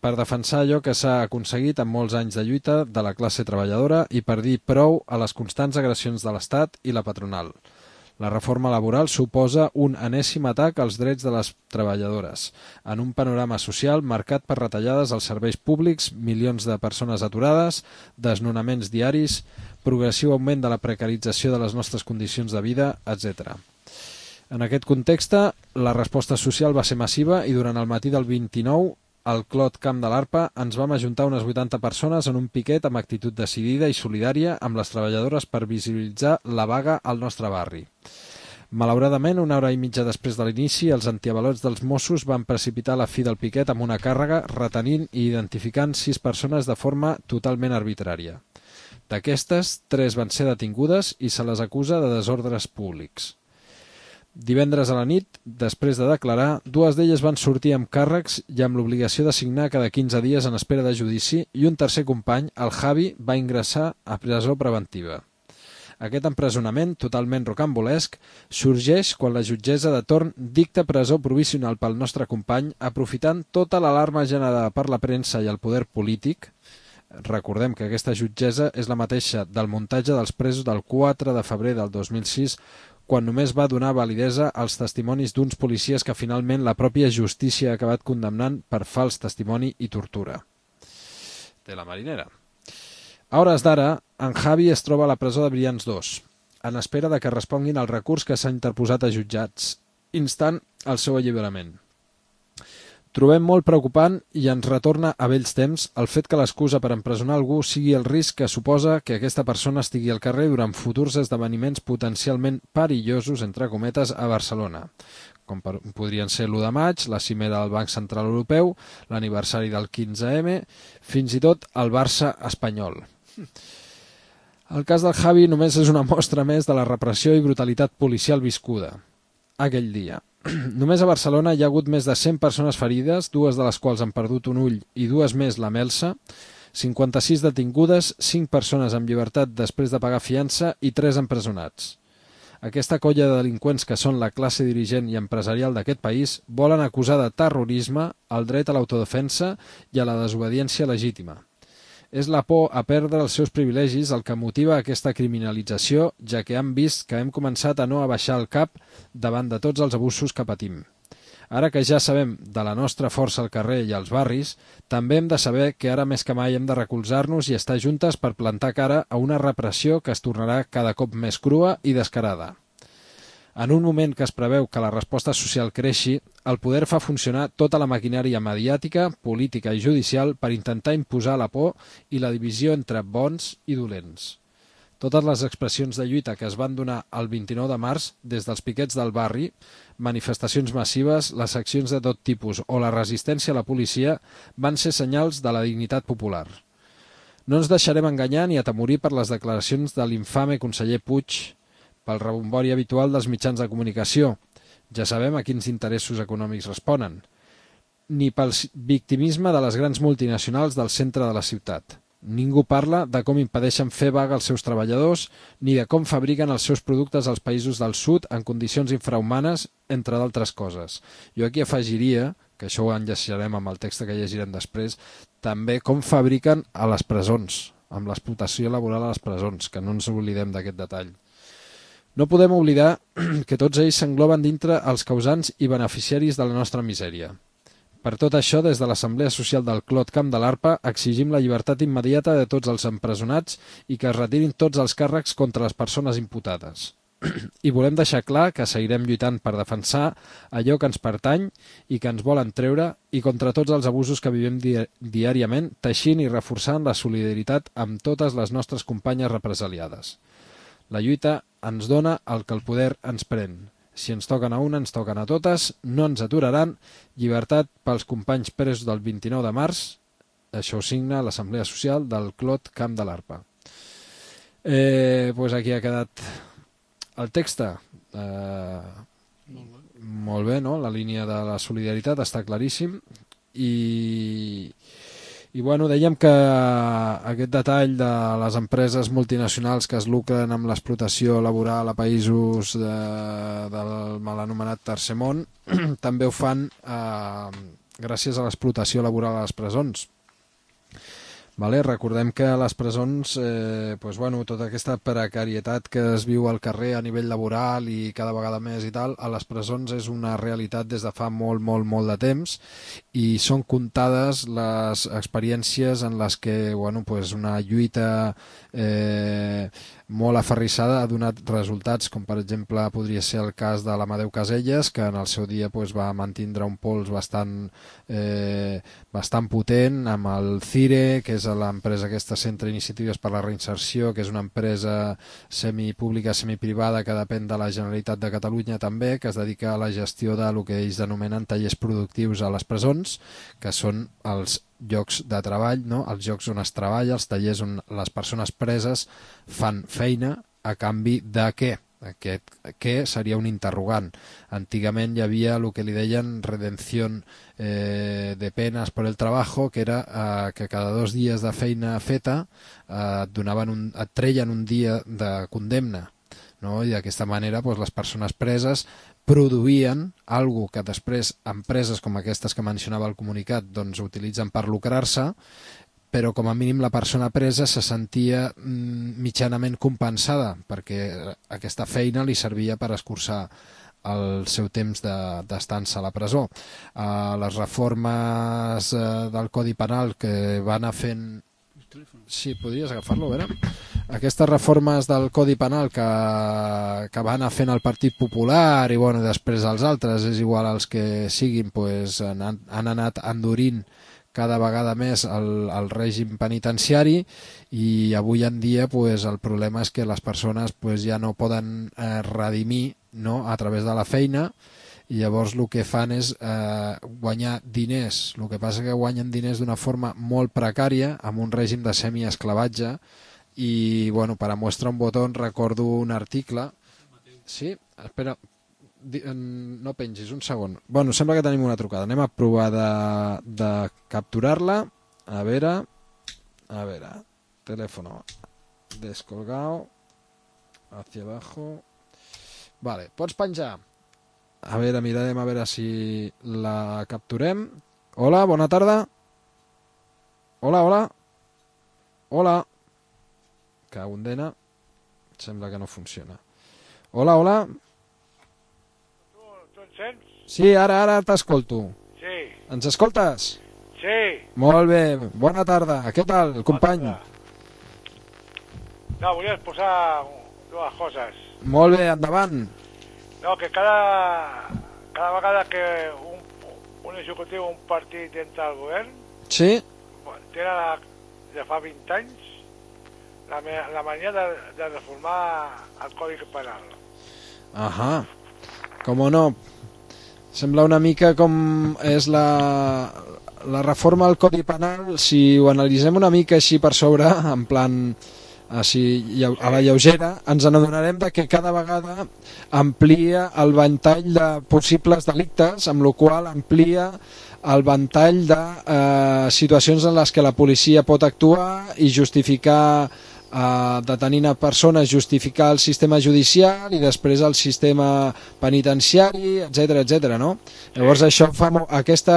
Per defensar allò que s'ha aconseguit en molts anys de lluita de la classe treballadora i per dir prou a les constants agressions de l'Estat i la patronal. La reforma laboral suposa un enèsim atac als drets de les treballadores, en un panorama social marcat per retallades als serveis públics, milions de persones aturades, desnonaments diaris, progressiu augment de la precarització de les nostres condicions de vida, etc. En aquest context, la resposta social va ser massiva i durant el matí del 29, al Clot Camp de l'Arpa, ens vam ajuntar unes 80 persones en un piquet amb actitud decidida i solidària amb les treballadores per visibilitzar la vaga al nostre barri. Malauradament, una hora i mitja després de l'inici, els antiavalots dels Mossos van precipitar la fi del piquet amb una càrrega, retenint i identificant 6 persones de forma totalment arbitrària. D'aquestes, 3 van ser detingudes i se les acusa de desordres públics. Divendres a la nit, després de declarar, 2 d'elles van sortir amb càrrecs i amb l'obligació de signar cada 15 dies en espera de judici i un tercer company, el Javi, va ingressar a presó preventiva. Aquest empresonament, totalment rocambolesc, sorgeix quan la jutgessa de torn dicta presó provisional pel nostre company, aprofitant tota l'alarma generada per la premsa i el poder polític. Recordem que aquesta jutgessa és la mateixa del muntatge dels presos del 4 de febrer del 2006, quan només va donar validesa als testimonis d'uns policies que finalment la pròpia justícia ha acabat condemnant per fals testimoni i tortura. De la marinera. A hores d'ara, en Javi es troba a la presó de Brians 2, en espera de que responguin al recurs que s'ha interposat a jutjats, instant el seu alliberament. Trobem molt preocupant i ens retorna a vells temps el fet que l'excusa per empresonar algú sigui el risc que suposa que aquesta persona estigui al carrer durant futurs esdeveniments potencialment perillosos, entre cometes, a Barcelona, com podrien ser l'1 de maig, la cimera del Banc Central Europeu, l'aniversari del 15M, fins i tot el Barça espanyol. El cas del Javi només és una mostra més de la repressió i brutalitat policial viscuda aquell dia. Només a Barcelona hi ha hagut més de 100 persones ferides, 2 de les quals han perdut un ull i 2 més la melsa, 56 detingudes, 5 persones amb llibertat després de pagar fiança i 3 empresonats. Aquesta colla de delinqüents que són la classe dirigent i empresarial d'aquest país volen acusar de terrorisme el dret a l'autodefensa i a la desobediència legítima. És la por a perdre els seus privilegis el que motiva aquesta criminalització, ja que han vist que hem començat a no abaixar el cap davant de tots els abusos que patim. Ara que ja sabem de la nostra força al carrer i als barris, també hem de saber que ara més que mai hem de recolzar-nos i estar juntes per plantar cara a una repressió que es tornarà cada cop més crua i descarada. En un moment que es preveu que la resposta social creixi, el poder fa funcionar tota la maquinària mediàtica, política i judicial per intentar imposar la por i la divisió entre bons i dolents. Totes les expressions de lluita que es van donar el 29 de març, des dels piquets del barri, manifestacions massives, les accions de tot tipus o la resistència a la policia, van ser senyals de la dignitat popular. No ens deixarem enganyar ni atemorir per les declaracions de l'infame conseller Puig, pel rebombori habitual dels mitjans de comunicació, ja sabem a quins interessos econòmics responen, ni pel victimisme de les grans multinacionals del centre de la ciutat. Ningú parla de com impedeixen fer vaga als seus treballadors, ni de com fabriquen els seus productes als països del sud en condicions infrahumanes, entre d'altres coses. Jo aquí afegiria, que això ho enllaçarem amb el text que llegirem després, també com fabriquen a les presons, amb l'explotació laboral a les presons, que no ens oblidem d'aquest detall. No podem oblidar que tots ells s'engloben dintre els causants i beneficiaris de la nostra misèria. Per tot això, des de l'Assemblea Social del Clot Camp de l'Arpa, exigim la llibertat immediata de tots els empresonats i que es retirin tots els càrrecs contra les persones imputades. I volem deixar clar que seguirem lluitant per defensar allò que ens pertany i que ens volen treure i contra tots els abusos que vivim diàriament, teixint i reforçant la solidaritat amb totes les nostres companyes represaliades. La lluita ens dona el que el poder ens pren. Si ens toquen a una, ens toquen a totes, no ens aturaran. Llibertat pels companys presos del 29 de març. Això ho signa l'Assemblea Social del Clot Camp de l'Arpa. Pues aquí ha quedat el text. Molt bé, no? La línia de la solidaritat està claríssim. I bueno, dèiem que aquest detall de les empreses multinacionals que es lucren amb l'explotació laboral a països del mal anomenat Tercer Món també ho fan gràcies a l'explotació laboral a les presons. Vale? Recordem que a les presons tota aquesta precarietat que es viu al carrer a nivell laboral i cada vegada més i tal, a les presons és una realitat des de fa molt de temps i són comptades les experiències en les que una lluita molt aferrissada ha donat resultats, com per exemple podria ser el cas de l'Amadeu Caselles, que en el seu dia va mantindre un pols bastant potent amb el CIRE, que és l'empresa aquesta Centre Iniciatives per la Reinserció, que és una empresa semipública, semiprivada que depèn de la Generalitat de Catalunya també, que es dedica a la gestió del que ells denominen tallers productius a les presons, que són els llocs de treball, no? Els llocs on es treballa, els tallers on les persones preses fan feina a canvi de què? Aquest què seria un interrogant. Antigament hi havia el que li deien redenció de penes per el trabajo, que era que cada 2 dies de feina feta et treien un dia de condemna, no? I d'aquesta manera les persones preses produïen algo que després empreses com aquestes que mencionava el comunicat utilitzen per lucrar-se, però com a mínim la persona presa se sentia mitjanament compensada perquè aquesta feina li servia per escurçar el seu temps d'estança a la presó. Les reformes del Codi Penal que va anar fent... Sí, podries agafar-lo, a veure? Aquestes reformes del Codi Penal que va anar fent el Partit Popular i després els altres, és igual els que siguin, han anat endurint cada vegada més el règim penitenciari i avui en dia el problema és que les persones ja no poden redimir, no?, a través de la feina, i llavors el que fan és guanyar diners. El que passa que guanyen diners d'una forma molt precària, amb un règim de semiesclavatge, i per a mostrar un botó recordo un article... Sí? Espera, no pengis, un segon. Sembla que tenim una trucada. Anem a provar de capturar-la. A veure, teléfono descolgado, hacia abajo. Vale, pots penjar. A veure, mirarem a veure si la capturem. Hola, bona tarda. Hola. Cagundena. Sembla que no funciona. Hola. Tu em sents? Sí, ara t'escolto. Sí. Ens escoltes? Sí. Molt bé, bona tarda. Què tal, company? No, volia posar 2 coses. Molt bé, endavant. No, que cada vegada que un executiu o un partit entra al govern, sí, tenen de fa 20 anys la mania de reformar el Codi Penal. Ahà, com no. Sembla una mica com és la reforma del Codi Penal, si ho analitzem una mica així per sobre, en plan... així, a la lleugera, ens n'adonarem que cada vegada amplia el ventall de possibles delictes, amb la qual amplia el ventall de situacions en les que la policia pot actuar i justificar detenint a persones, justificar el sistema judicial i després el sistema penitenciari, etc, no? Llavors això aquest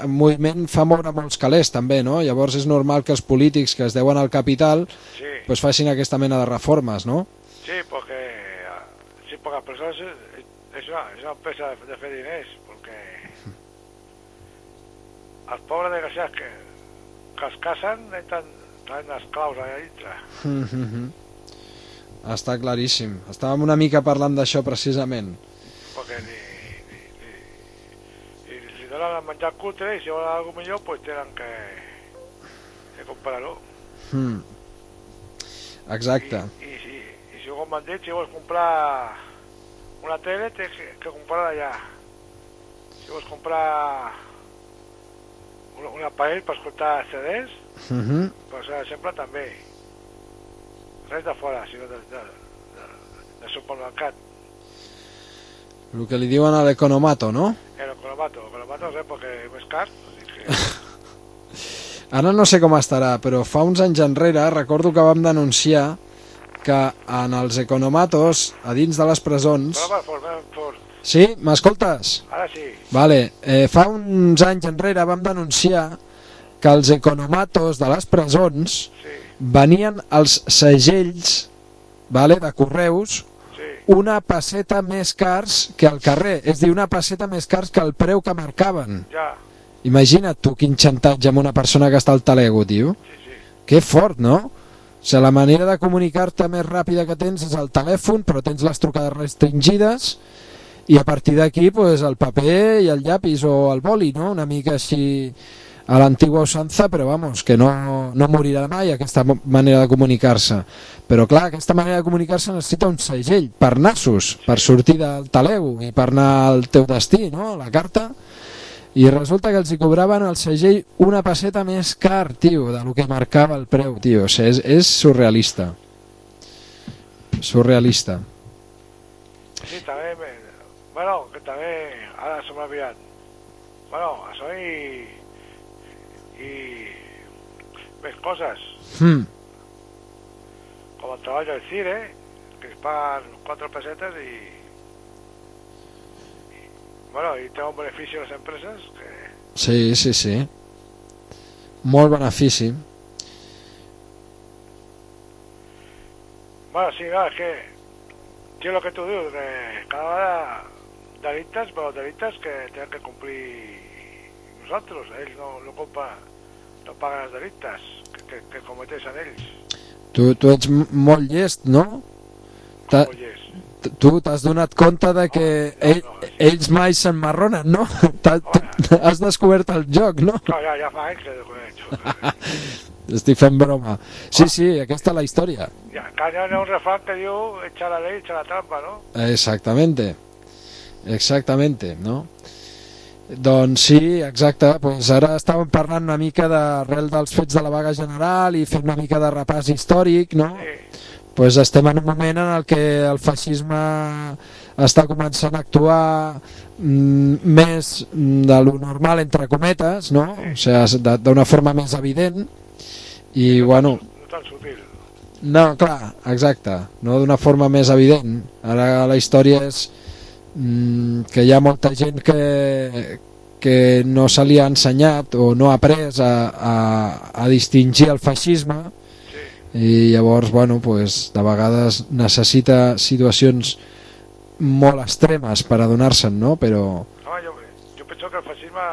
moviment fa moure molts calés també, no? Llavors és normal que els polítics que es deuen al capital pues facin aquesta mena de reformes, no? Sí, porque las personas es una empresa de hacer diners, porque els pobres desgraciats que es casen traen les claus allà dintre. Està claríssim. Estàvem una mica parlant d'això precisament. Perquè li donen a menjar cutre i si volen alguna millor pues tenen que comprar-ho. Exacte. I si ho m'han dit, si vols comprar una tele tens que comprar-la allà. Si vols comprar un aparell per escoltar CDs, pues sempre també. Res de fora, sinó de supermercat. El que li diuen a l'economato, no? L'economato res, perquè és més car. Ara no sé com estarà, però fa uns anys enrere recordo que vam denunciar que en els economatos, a dins de les presons... Fort. Sí? M'escoltes? Ara sí. Vale. Fa uns anys enrere vam denunciar que els economatos de les presons venien els segells, vale, de correus, una passeta més cars que al carrer. És a dir, una passeta més cars que el preu que marcaven. Ja. Imagina't tu quin xantatge amb una persona que està al talego, tio. Sí. Que fort, no? O sigui, la manera de comunicar-te més ràpida que tens és el telèfon, però tens les trucades restringides i a partir d'aquí pues, el paper i el llapis o el boli, no? Una mica així a l'antigua usanza, però vamos, que no morirà mai aquesta manera de comunicar-se. Però clar, aquesta manera de comunicar-se necessita un segell per nassos, per sortir del talego i per anar al teu destí, no? La carta. I resulta que els hi cobraven el segell una passeta més car, tio, de lo que marcava el preu, tio. O sigui, és surrealista. Surrealista. Sí, també... Bueno, que també... Ara se m'ha aviat. Bueno, això i més coses. Com el treball del CIRE, que es paguen 4 pessetes i bueno, i té un benefici a les empreses que... Sí. Molt benefici. Bueno, sí, no, és que sí, el que tu dius, que cada vegada delictes, però delictes que tenen que complir nosaltres, ells no paguen els delictes que cometeixen ells. Tu ets molt llest, no? Molt llest. Tu t'has donat compte de que ells mai s'emmarronen, no? Has descobert el joc, no? No, ja fa anys que desconec. Estic fent broma. Sí, aquesta és la història. Ja, que hi ha un refrán que diu echar la ley, echar la trampa, no? Exactamente, no? Doncs sí, exacte, pues ara estàvem parlant una mica d'arrel dels fets de la vaga general i fent una mica de repàs històric, no? Sí. Pues estem en un moment en el que el feixisme està començant a actuar més de lo normal, entre cometes, no? O sigui, d'una forma més evident i, bueno... No tan sutil. No, clar, exacte, no d'una forma més evident. Ara la història és que hi ha molta gent que no se li ha ensenyat o no ha après a distingir el feixisme i llavors, bueno, pues, de vegades necessita situacions molt extremes per adonar-se'n, no? Però... No, jo penso que el feixisme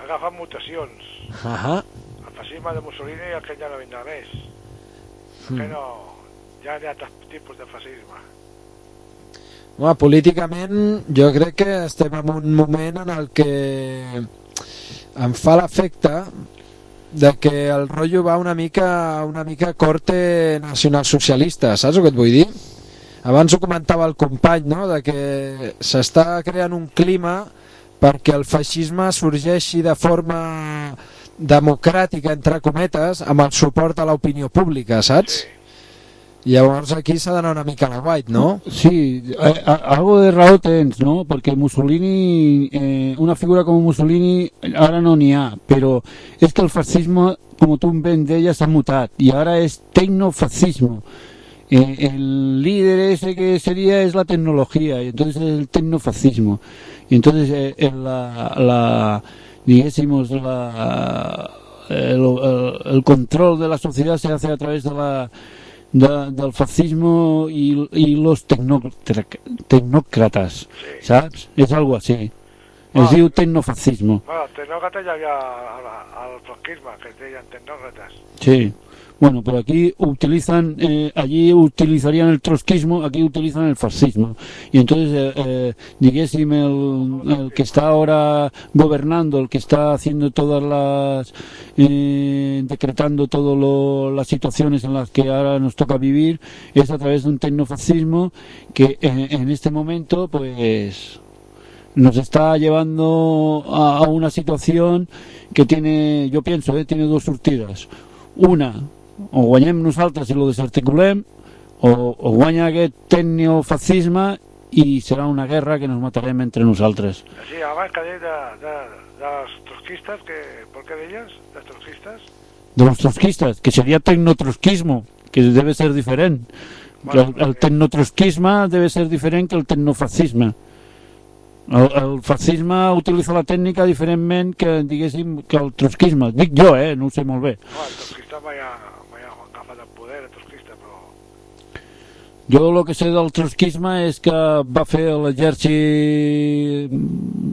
agafa mutacions. El feixisme de Mussolini i el que ja no vindrà més. Que no... Ja hi ha altres tipus de feixisme. Bueno, políticament jo crec que estem en un moment en el que em fa l'efecte de que el rotllo va una mica corte nacionalsocialista, saps el que et vull dir? Abans ho comentava el company, no? De que s'està creant un clima perquè el feixisme sorgeixi de forma democràtica, entre cometes, amb el suport a l'opinió pública, saps? Llavors aquí s'ha d'anar una mica a la white, no? Sí, algo de raó tens, ¿no? Porque Mussolini, una figura como Mussolini ahora no n'hi ha, pero es que el fascismo, como tú bien deies, s'ha mutat y ahora es tecnofascismo. El líder ese que sería es la tecnología y entonces es el tecnofascismo. Y entonces digésemos el control de la sociedad se hace a través del fascismo y los tecnòcrates, saps? És algo així. Es diu tecnofascismo. Bueno, tecnòcrates ja havia al franquisme, que es deien tecnòcrates. Sí. Bueno, pero aquí utilizan, allí utilizarían el trotskismo, aquí utilizan el fascismo. Y entonces, digéssim, el que está ahora gobernando, el que está haciendo todas las, decretando todas las situaciones en las que ahora nos toca vivir, es a través de un tecnofascismo que en este momento, pues, nos está llevando a una situación que tiene, yo pienso, tiene dos sortides. Una, o guanyem nosaltres i lo desarticulem, o guanya aquest tecnofascisme i serà una guerra que nos matarem entre nosaltres. Sí, abans que deies dels trotskistes, ¿por qué deies? ¿Dels trotskistes? De los trotskistes, que sería tecnotrotskismo, que debe ser diferent. Bueno, el tecnotrotskisme debe ser diferent que el tecnofascisme. El fascisme utilitza la tècnica diferentment que, diguéssim, que el trotskisme. Dic jo, no ho sé molt bé. No, el trotskista mai ha agafat el poder, el trotskista, però... Jo el que sé del trotskisme és que va fer l'exèrcit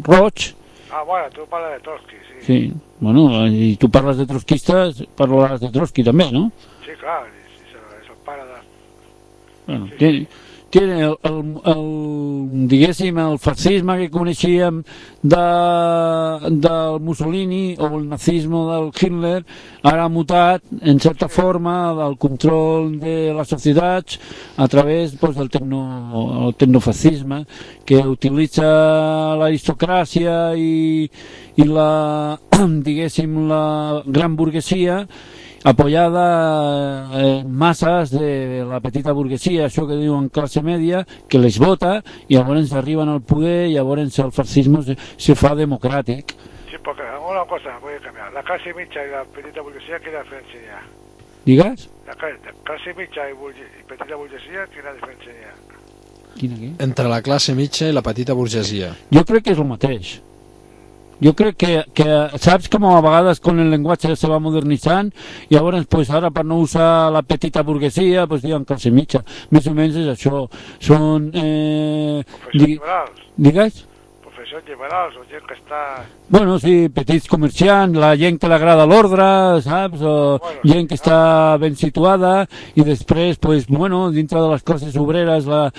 roig. Ah, bueno, tu parles de Trotsky, sí. Sí, bueno, i tu parles de trotskistes, parlaràs de Trotsky també, no? Sí, clar, és el pare de... Bueno, sí. Tiene diguéssim, el fascisme que coneixíem del Mussolini o el nazisme del Hitler ara ha mutat, en certa forma, del control de les societats a través del tecnofascisme, que utilitza l'aristocràcia i la, diguéssim, la gran burguesia apoyada en masas de la petita burguesia, això que diuen classe media, que les vota i llavors arriben al poder i llavors el fascisme se fa democràtic. Sí, porque una cosa voy a cambiar. La clase mitja y la petita burguesía, ¿qué diferencia hay? Digues? La clase mitja y petita burguesía, ¿qué diferència hi ha? Quina què? Entre la classe mitja i la petita burgesia. Jo crec que és el mateix. Jo crec que saps com a vegades con el llenguatge se va modernitzant i llavors pues, ara per no usar la petita burguesia pues, diuen classe mitja, més o menys és això, són professors liberals. Digues? Professors liberals o gent que està... Bueno, sí, petits comerciants, la gent que li agrada l'ordre, saps? O gent que està ben situada i després, pues, bueno, dintre de les classes obreres la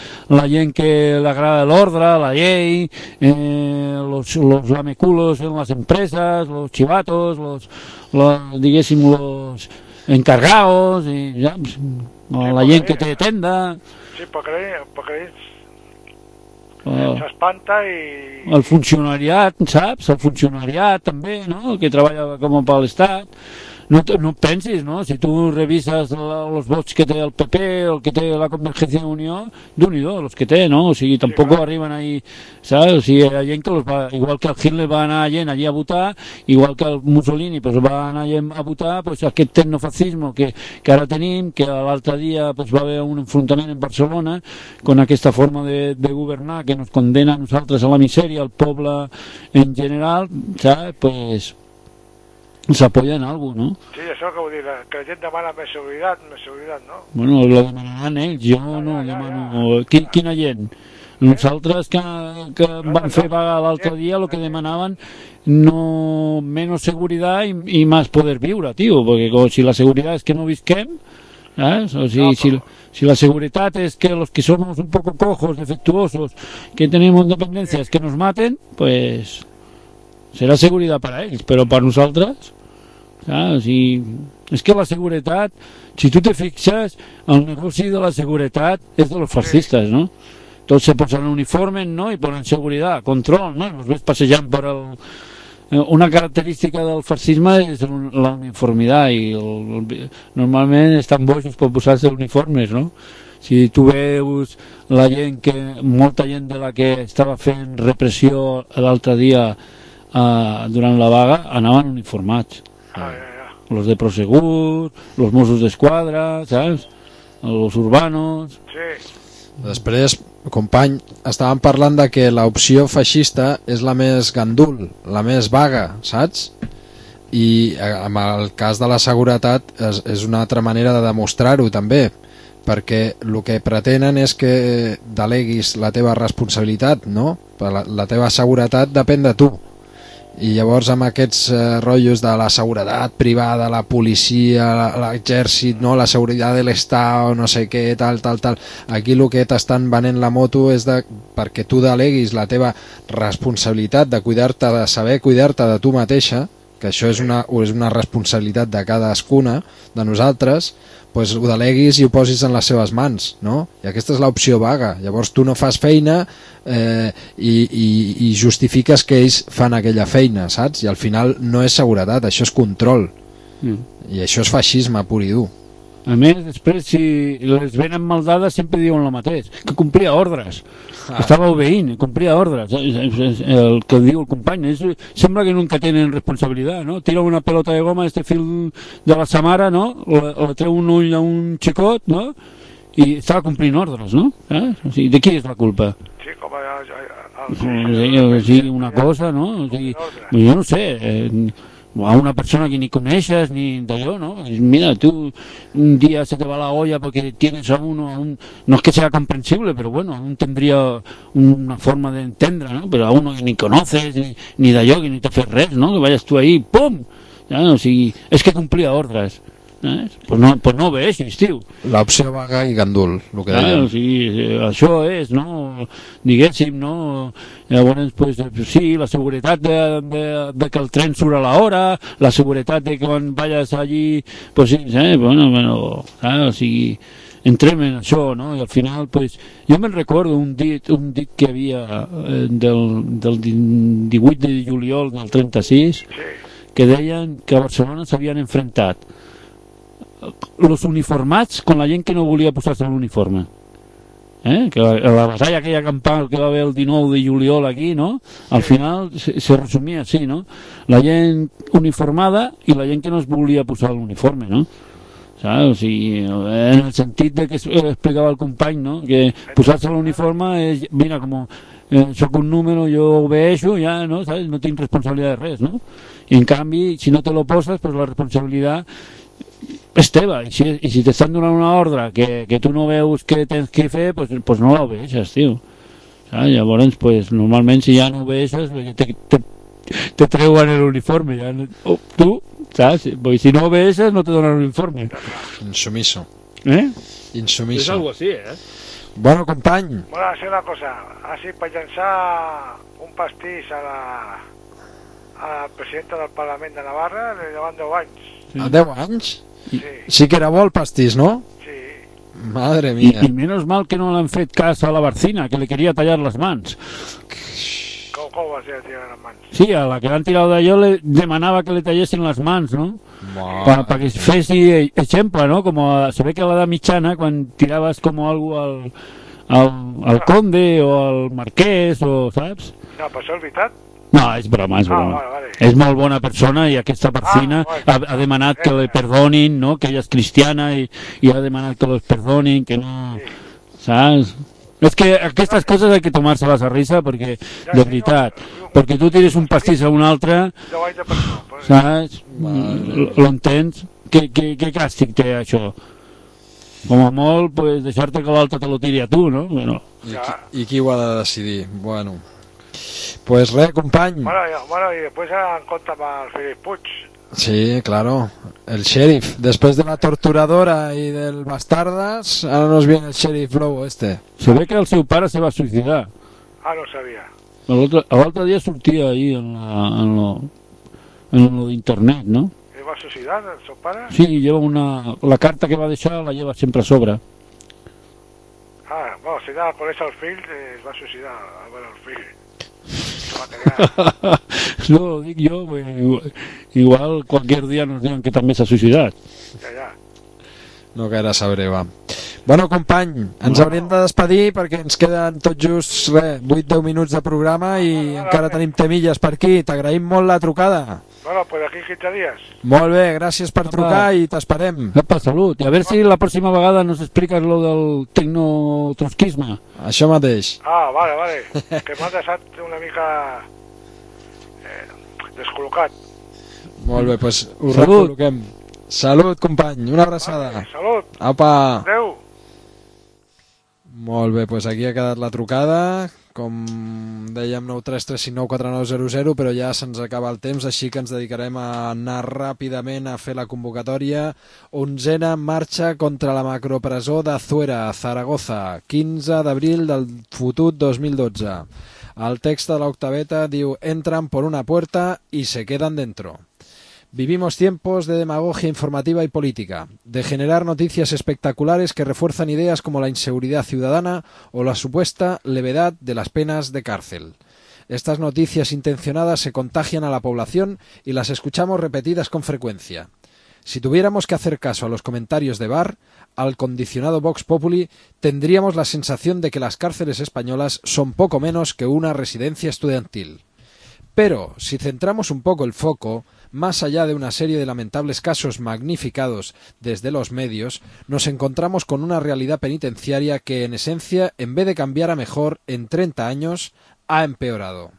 gent que li agrada l'ordre, la llei, los lameculos en les empreses, los chivatos, diguéssim, los encargados, i, ja, la gent que té tenda... Sí, perquè ells s'espanta i... El funcionariat, saps? El funcionariat també, no? Que treballa com per l'Estat. No pensis, no? Si tu revises els vots que té el PP o el que té la Convergencia de Unió, d'un-i-do, els que té, no? O sigui, tampoc arriben ahí, saps? O sigui, hi ha gent que igual que el Hitler va anar gent allí a votar, igual que el Mussolini pues, va anar gent a votar, pues, aquest tecnofascisme que ara tenim, que l'altre dia pues, va haver un enfrontament en Barcelona con aquesta forma de governar que nos condena a nosaltres a la misèria, al poble en general, saps? Pues... s'apoya en algo, no? Sí, això que vull dir, que la gent demana més seguretat, no? Bueno, lo demanaran ells, jo no demano... Quina gent? Nosaltres que van fer vaga l'altre dia, el que demanaven no menos seguridad y más poder viure, tío, porque si la seguridad es que no visquem, ¿sabes? O si la seguridad es que los que somos un poco cojos, defectuosos, que tenemos dependencias, que nos maten, pues... serà seguretat per a ells, però per nosaltres, saps? És que la seguretat, si tu te fixes, el negoci de la seguretat és de los fascistes, no? Tots se posen uniformes, no? I ponen seguretat, control, no? Los ves passejant per una característica del fascisme és la uniformitat i normalment estan bojos per posar-se uniformes, no? Si tu veus la gent molta gent de la que estava fent repressió l'altre dia durant la vaga anaven uniformats. Los de Prosegur, los Mossos d'Esquadra, saps? Los urbanos. Sí. Després, company, estàvem parlant de que l'opció feixista és la més gandul, la més vaga, saps? I en el cas de la seguretat és una altra manera de demostrar-ho també, perquè el que pretenen és que deleguis la teva responsabilitat, no? La teva seguretat depèn de tu. I llavors amb aquests rotllos de la seguretat privada, la policia, l'exèrcit, no? La seguretat de l'Estat, no sé què, tal, aquí el que t'estan venent la moto és perquè tu deleguis la teva responsabilitat de cuidar-te, de saber cuidar-te de tu mateixa, que això és una responsabilitat de cadascuna de nosaltres, pues ho deleguis i ho posis en les seves mans, no? I aquesta és l'opció vaga. Llavors tu no fas feina i justifiques que ells fan aquella feina, saps? I al final no és seguretat, això és control. I això és feixisme pur i dur. A més, després, si les venen mal dades, sempre diuen el mateix, que complia ordres, que estava obeint, complia ordres. El que diu el company, sembla que nunca tenen responsabilitat, no? Tira una pelota de goma, fil de la samara, no? O treu un ull a un xicot, no? I estava complint ordres, no? O sigui, de qui és la culpa? Sí, com sí, una cosa, no? O sigui, jo no sé, a una persona que ni coneixes ni d'allò, ¿no? Mira, tú un día se te va la olla porque tienes a uno, no es que sea comprensible, pero bueno, aún tendría una forma de entendre, ¿no? Pero a uno que ni conoces, ni d'allò, que ni te fes res, ¿no? Que vayas tú ahí, ¡pum! Ja, o sigui, és que complia ordres. Pues no obeixis, tio. L'opció vaga i gandul, el que dèiem. O sigui, això és, no? Diguéssim, no? Llavors, pues, sí, la seguretat de que el tren surt a l'hora, la seguretat de que quan vayas allí, pues sí, bueno, o sigui, entrem en això, no? I al final, pues, jo me'n recordo un dit que havia del 18 de juliol del 36, que deien que a Barcelona s'havien enfrentat los uniformats con la gent que no volia posar-se l'uniforme. Que la batalla aquella campal que va haver el 19 de juliol aquí, no? Al final se resumia així, no? La gent uniformada i la gent que no es volia posar l'uniforme, no? ¿Sabes? O sigui, en el sentit de que explicava el company, no? Que posar-se l'uniforme és, mira, com soc un número, jo obeixo, ja, no? ¿Sabes? No tinc responsabilitat de res, no? I en canvi, si no te lo poses, pues la responsabilitat és teva, i si t'estan donant una ordre que tu no veus que tens que fer, pues no l'obeixes, tio. Llavors, pues, normalment si ja no obeixes te treuen l'uniforme, ja, tu, saps? Si no obeixes no te donen l'uniforme. Insumiso. Insumiso. És algo así, Bueno, company. Bueno, hacer una cosa, así per llançar un pastís a la presidenta del Parlament de Navarra, li llevan 10 anys. A 10 anys? Sí. Sí que era bo el pastís, ¿no? Sí. Madre mía. Y menos mal que no le han fet cas a la Barcina, que le quería tallar las mans. Com va ser tirar les mans? Sí, a la que l'han tirat d'allò le demanava que le tallessin les mans, no? Perquè fessi exemple, no? Se ve que a l'edat mitjana, quan tiraves com algo al conde o al marquès, o saps? No, però això és veritat? No, és broma, és broma. Vale. És molt bona persona i aquesta Barcina ha demanat que le perdonin, no? Que ella és cristiana i ha demanat que los perdonin, que no... Saps? És que aquestes coses hay que tomar-se-les a risa perquè, de veritat, perquè tu tires un pastís a un altre, saps? L'entens? Què càstig té això? Com a molt, pues, deixar-te que l'altre te lo tiri a tu, no? Bueno. I qui ho ha de decidir? Bueno, pues res, company. Bueno, y después en contra para el Felip Puig. Sí, claro, el sheriff. Después de la torturadora y del bastardas, ahora nos viene el sheriff lobo este. Se ve que el seu pare se va suïcidar. Ah, no sabia. L'altre dia sortia ahí en lo d'internet, ¿no? ¿Se va suïcidar el seu pare? Sí, lleva la carta que va deixar la lleva sempre a sobre. Ah, bueno, si anava a conèixer el fill, es va suïcidar, a veure el fill. se va a quedar. No, dic jo, igual qualsevol dia nos diuen que també s'ha suïcidat. Ja. No gaire sabré, va. Bueno, company, ens hauríem de despedir perquè ens queden tot just 8-10 minuts de programa i encara tenim temilles per aquí. T'agraïm molt la trucada. Bueno, pues aquí 15 días. Molt bé, gràcies per trucar i t'esperem. Apa, salut. I a veure si la pròxima vegada nos expliques lo del tecnotrotskisme. Això mateix. Ah, vale. Que m'ha deixat una mica descol·locat. Molt bé, doncs ho Salut. recol·loquem. Salut, company, una abraçada. Vale, salut. Apa. Adéu. Molt bé, doncs aquí ha quedat la trucada. Com dèiem, 933594900, però ja se'ns acaba el temps, així que ens dedicarem a anar ràpidament a fer la convocatòria. 11a marxa contra la macropresó de Zuera, Zaragoza, 15 d'abril del fotut 2012. El text de l'octaveta diu: entran por una puerta y se quedan dentro. Vivimos tiempos de demagogia informativa y política, de generar noticias espectaculares que refuerzan ideas como la inseguridad ciudadana o la supuesta levedad de las penas de cárcel. Estas noticias intencionadas se contagian a la población y las escuchamos repetidas con frecuencia. Si tuviéramos que hacer caso a los comentarios de Barr, al condicionado Vox Populi, tendríamos la sensación de que las cárceles españolas son poco menos que una residencia estudiantil. Pero, si centramos un poco el foco, más allá de una serie de lamentables casos magnificados desde los medios, nos encontramos con una realidad penitenciaria que, en esencia, en vez de cambiar a mejor en 30 años, ha empeorado.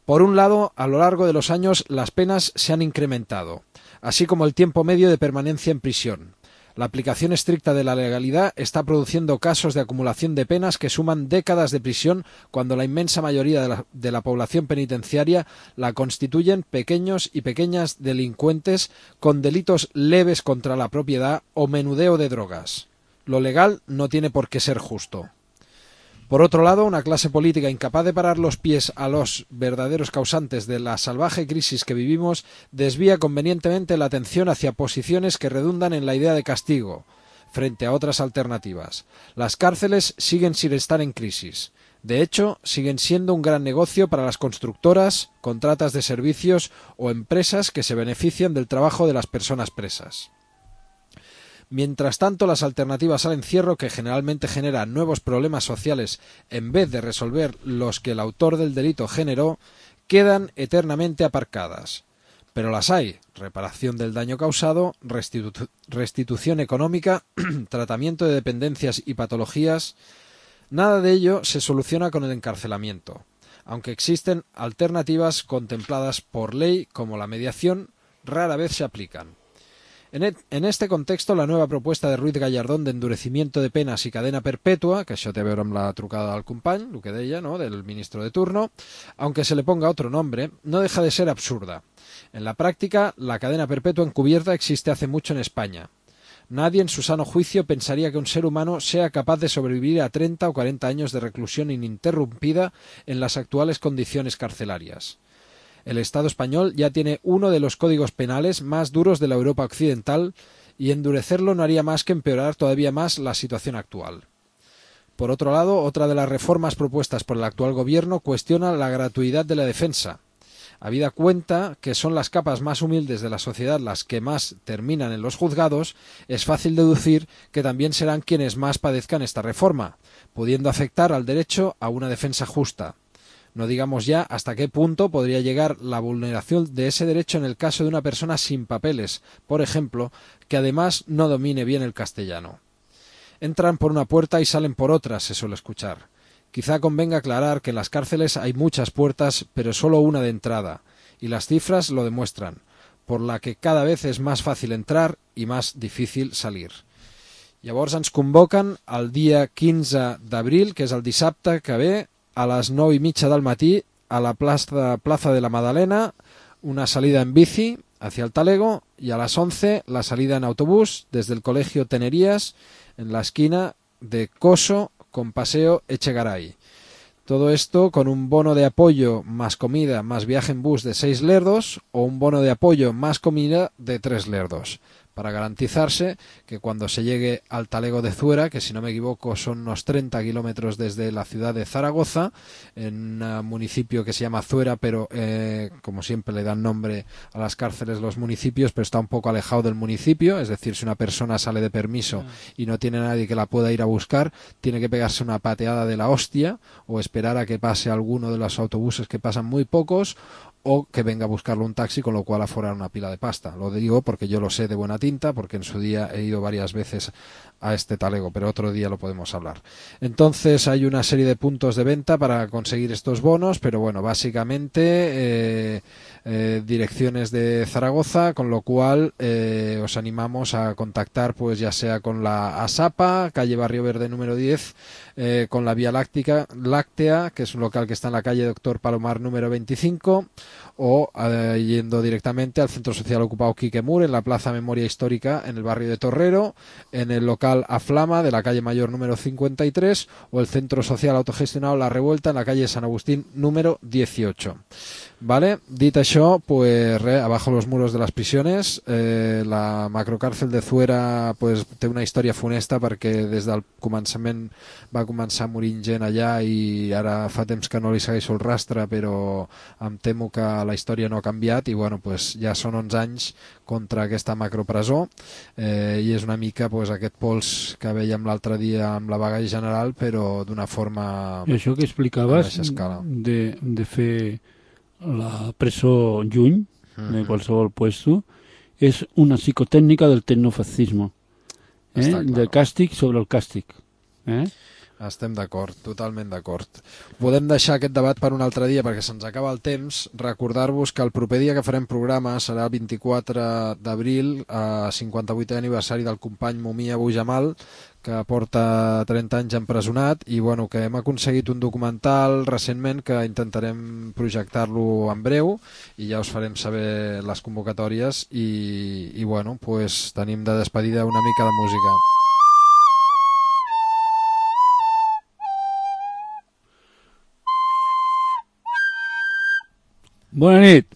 Por un lado, a lo largo de los años las penas se han incrementado, así como el tiempo medio de permanencia en prisión. La aplicación estricta de la legalidad está produciendo casos de acumulación de penas que suman décadas de prisión cuando la inmensa mayoría de la población penitenciaria la constituyen pequeños y pequeñas delincuentes con delitos leves contra la propiedad o menudeo de drogas. Lo legal no tiene por qué ser justo. Por otro lado, una clase política incapaz de parar los pies a los verdaderos causantes de la salvaje crisis que vivimos desvía convenientemente la atención hacia posiciones que redundan en la idea de castigo, frente a otras alternativas. Las cárceles siguen sin estar en crisis. De hecho, siguen siendo un gran negocio para las constructoras, contratas de servicios o empresas que se benefician del trabajo de las personas presas. Mientras tanto, las alternativas al encierro, que generalmente generan nuevos problemas sociales en vez de resolver los que el autor del delito generó, quedan eternamente aparcadas. Pero las hay: reparación del daño causado, restitución económica, tratamiento de dependencias y patologías. Nada de ello se soluciona con el encarcelamiento, aunque existen alternativas contempladas por ley como la mediación, rara vez se aplican. En este contexto, la nueva propuesta de Ruiz Gallardón de endurecimiento de penas y cadena perpetua, que això té a veure amb la trucada del company, el que deia, ¿no?, del ministro de turno, aunque se le ponga otro nombre, no deja de ser absurda. En la práctica, la cadena perpetua encubierta existe hace mucho en España. Nadie en su sano juicio pensaría que un ser humano sea capaz de sobrevivir a 30 o 40 años de reclusión ininterrumpida en las actuales condiciones carcelarias. El Estado español ya tiene uno de los códigos penales más duros de la Europa occidental y endurecerlo no haría más que empeorar todavía más la situación actual. Por otro lado, otra de las reformas propuestas por el actual gobierno cuestiona la gratuidad de la defensa. Habida cuenta que son las capas más humildes de la sociedad las que más terminan en los juzgados, es fácil deducir que también serán quienes más padezcan esta reforma, pudiendo afectar al derecho a una defensa justa. No digamos ya hasta qué punto podría llegar la vulneración de ese derecho en el caso de una persona sin papeles, por ejemplo, que además no domine bien el castellano. Entran por una puerta y salen por otra, se suele escuchar. Quizá convenga aclarar que en las cárceles hay muchas puertas, pero solo una de entrada, y las cifras lo demuestran, por la que cada vez es más fácil entrar y más difícil salir. Llavors ens convoquen el dia 15 d'abril, que és el dissabte que ve, a las 9:30 del matí, a la Plaza de la Madalena, una salida en bici hacia el Talego, y a las 11 la salida en autobús desde el Colegio Tenerías, en la esquina de Coso con Paseo Echegaray. Todo esto con un bono de apoyo más comida más viaje en bus de 6 lerdos o un bono de apoyo más comida de 3 lerdos. para garantizarse que cuando se llegue al talego de Zuera, que si no me equivoco son unos 30 kilómetros desde la ciudad de Zaragoza, en un municipio que se llama Zuera, pero como siempre le dan nombre a las cárceles los municipios, pero está un poco alejado del municipio, es decir, si una persona sale de permiso y no tiene nadie que la pueda ir a buscar, tiene que pegarse una pateada de la hostia o esperar a que pase alguno de los autobuses, que pasan muy pocos, o que venga a buscarlo un taxi, con lo cual aforar una pila de pasta. Lo digo porque yo lo sé de buena tinta, porque en su día he ido varias veces a este talego, pero otro día lo podemos hablar. Entonces hay una serie de puntos de venta para conseguir estos bonos, pero bueno, básicamente direcciones de Zaragoza, con lo cual os animamos a contactar, pues ya sea con la ASAPA, calle Barrio Verde número 10, con la Vía Láctea, que es un local que está en la calle Doctor Palomar número 25, o yendo directamente al Centro Social Ocupado Quique Mur, en la Plaza Memoria Histórica, en el barrio de Torrero, en el local Aflama de la calle Mayor número 53, o el Centro Social Autogestionado La Revuelta en la calle San Agustín número 18. Vale, dit això, pues abajo los muros de las prisiones. La macrocàrcel de Zuera pues té una història funesta, perquè des del començament va començar morint gent allà i ara fa temps que no li segueixo el rastre, però em temo que la història no ha canviat i bueno, pues ja són 11 anys contra aquesta macropresó, i és una mica pues aquest pols que veiem l'altre dia amb la vaga general, però d'una forma... I això que explicaves de fer la presó lluny de qualsevol puesto és una psicotècnica del tecnofascisme, de càstig sobre el càstig. Estem d'acord, totalment d'acord. Podem deixar aquest debat per un altre dia perquè se'ns acaba el temps. Recordar-vos que el proper dia que farem programa serà el 24 d'abril, 58è aniversari del company Mumia Abu Jamal, que porta 30 anys empresonat, i bueno, que hem aconseguit un documental recentment que intentarem projectar-lo en breu i ja us farem saber les convocatòries i bueno, pues tenim de despedida una mica de música. Bona nit.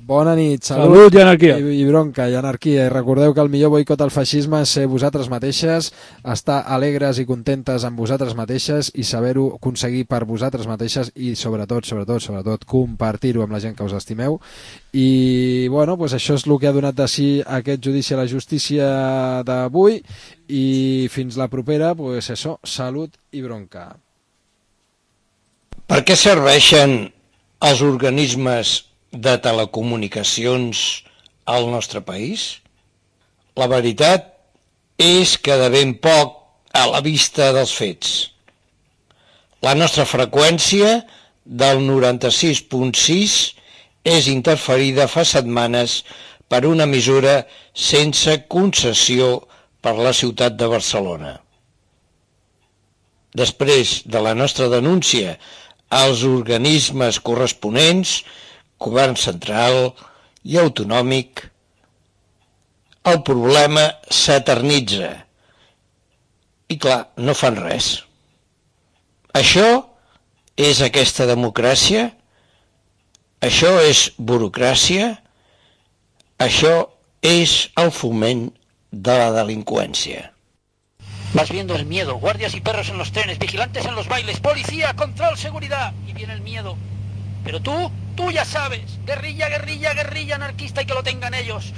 Bona nit, salut i anarquia. I bronca i anarquia. I recordeu que el millor boicot al feixisme és ser vosaltres mateixes, estar alegres i contentes amb vosaltres mateixes i saber-ho aconseguir per vosaltres mateixes i sobretot compartir-ho amb la gent que us estimeu. I bueno, pues això és el que ha donat de si aquest judici a la justícia d'avui, i fins la propera, pues això, salut i bronca. Per què serveixen els organismes de telecomunicacions al nostre país? La veritat és que de ben poc a la vista dels fets. La nostra freqüència del 96.6 és interferida fa setmanes per una emissora sense concessió per la ciutat de Barcelona. Després de la nostra denúncia als organismes corresponents, govern central i autonòmic, el problema s'eternitza. I clar, no fan res. Això és aquesta democràcia? Això és burocràcia? Això és el foment de la delinqüència. Vas viendo el miedo, guardias y perros en los trenes, vigilantes en los bailes, policía, control, seguridad, y viene el miedo. Pero tú ya sabes, guerrilla, guerrilla, guerrilla anarquista, y que lo tengan ellos,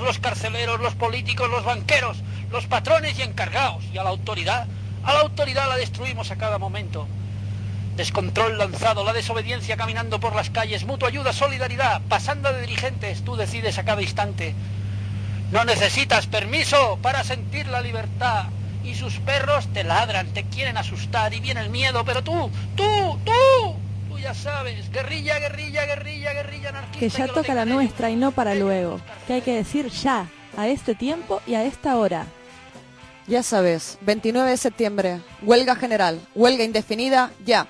los carceleros, los políticos, los banqueros, los patrones y encargados, y a la autoridad la destruimos a cada momento. Descontrol lanzado, la desobediencia caminando por las calles, mutua ayuda, solidaridad, pasando de dirigentes, tú decides a cada instante. No necesitas permiso para sentir la libertad. Y sus perros te ladran, te quieren asustar y viene el miedo, pero tú ya sabes, guerrilla, guerrilla, guerrilla, guerrilla anarquista. Que ya toca la nuestra y no para luego, que hay que decir ya, a este tiempo y a esta hora. Ya sabes, 29 de septiembre, huelga general, huelga indefinida, ya.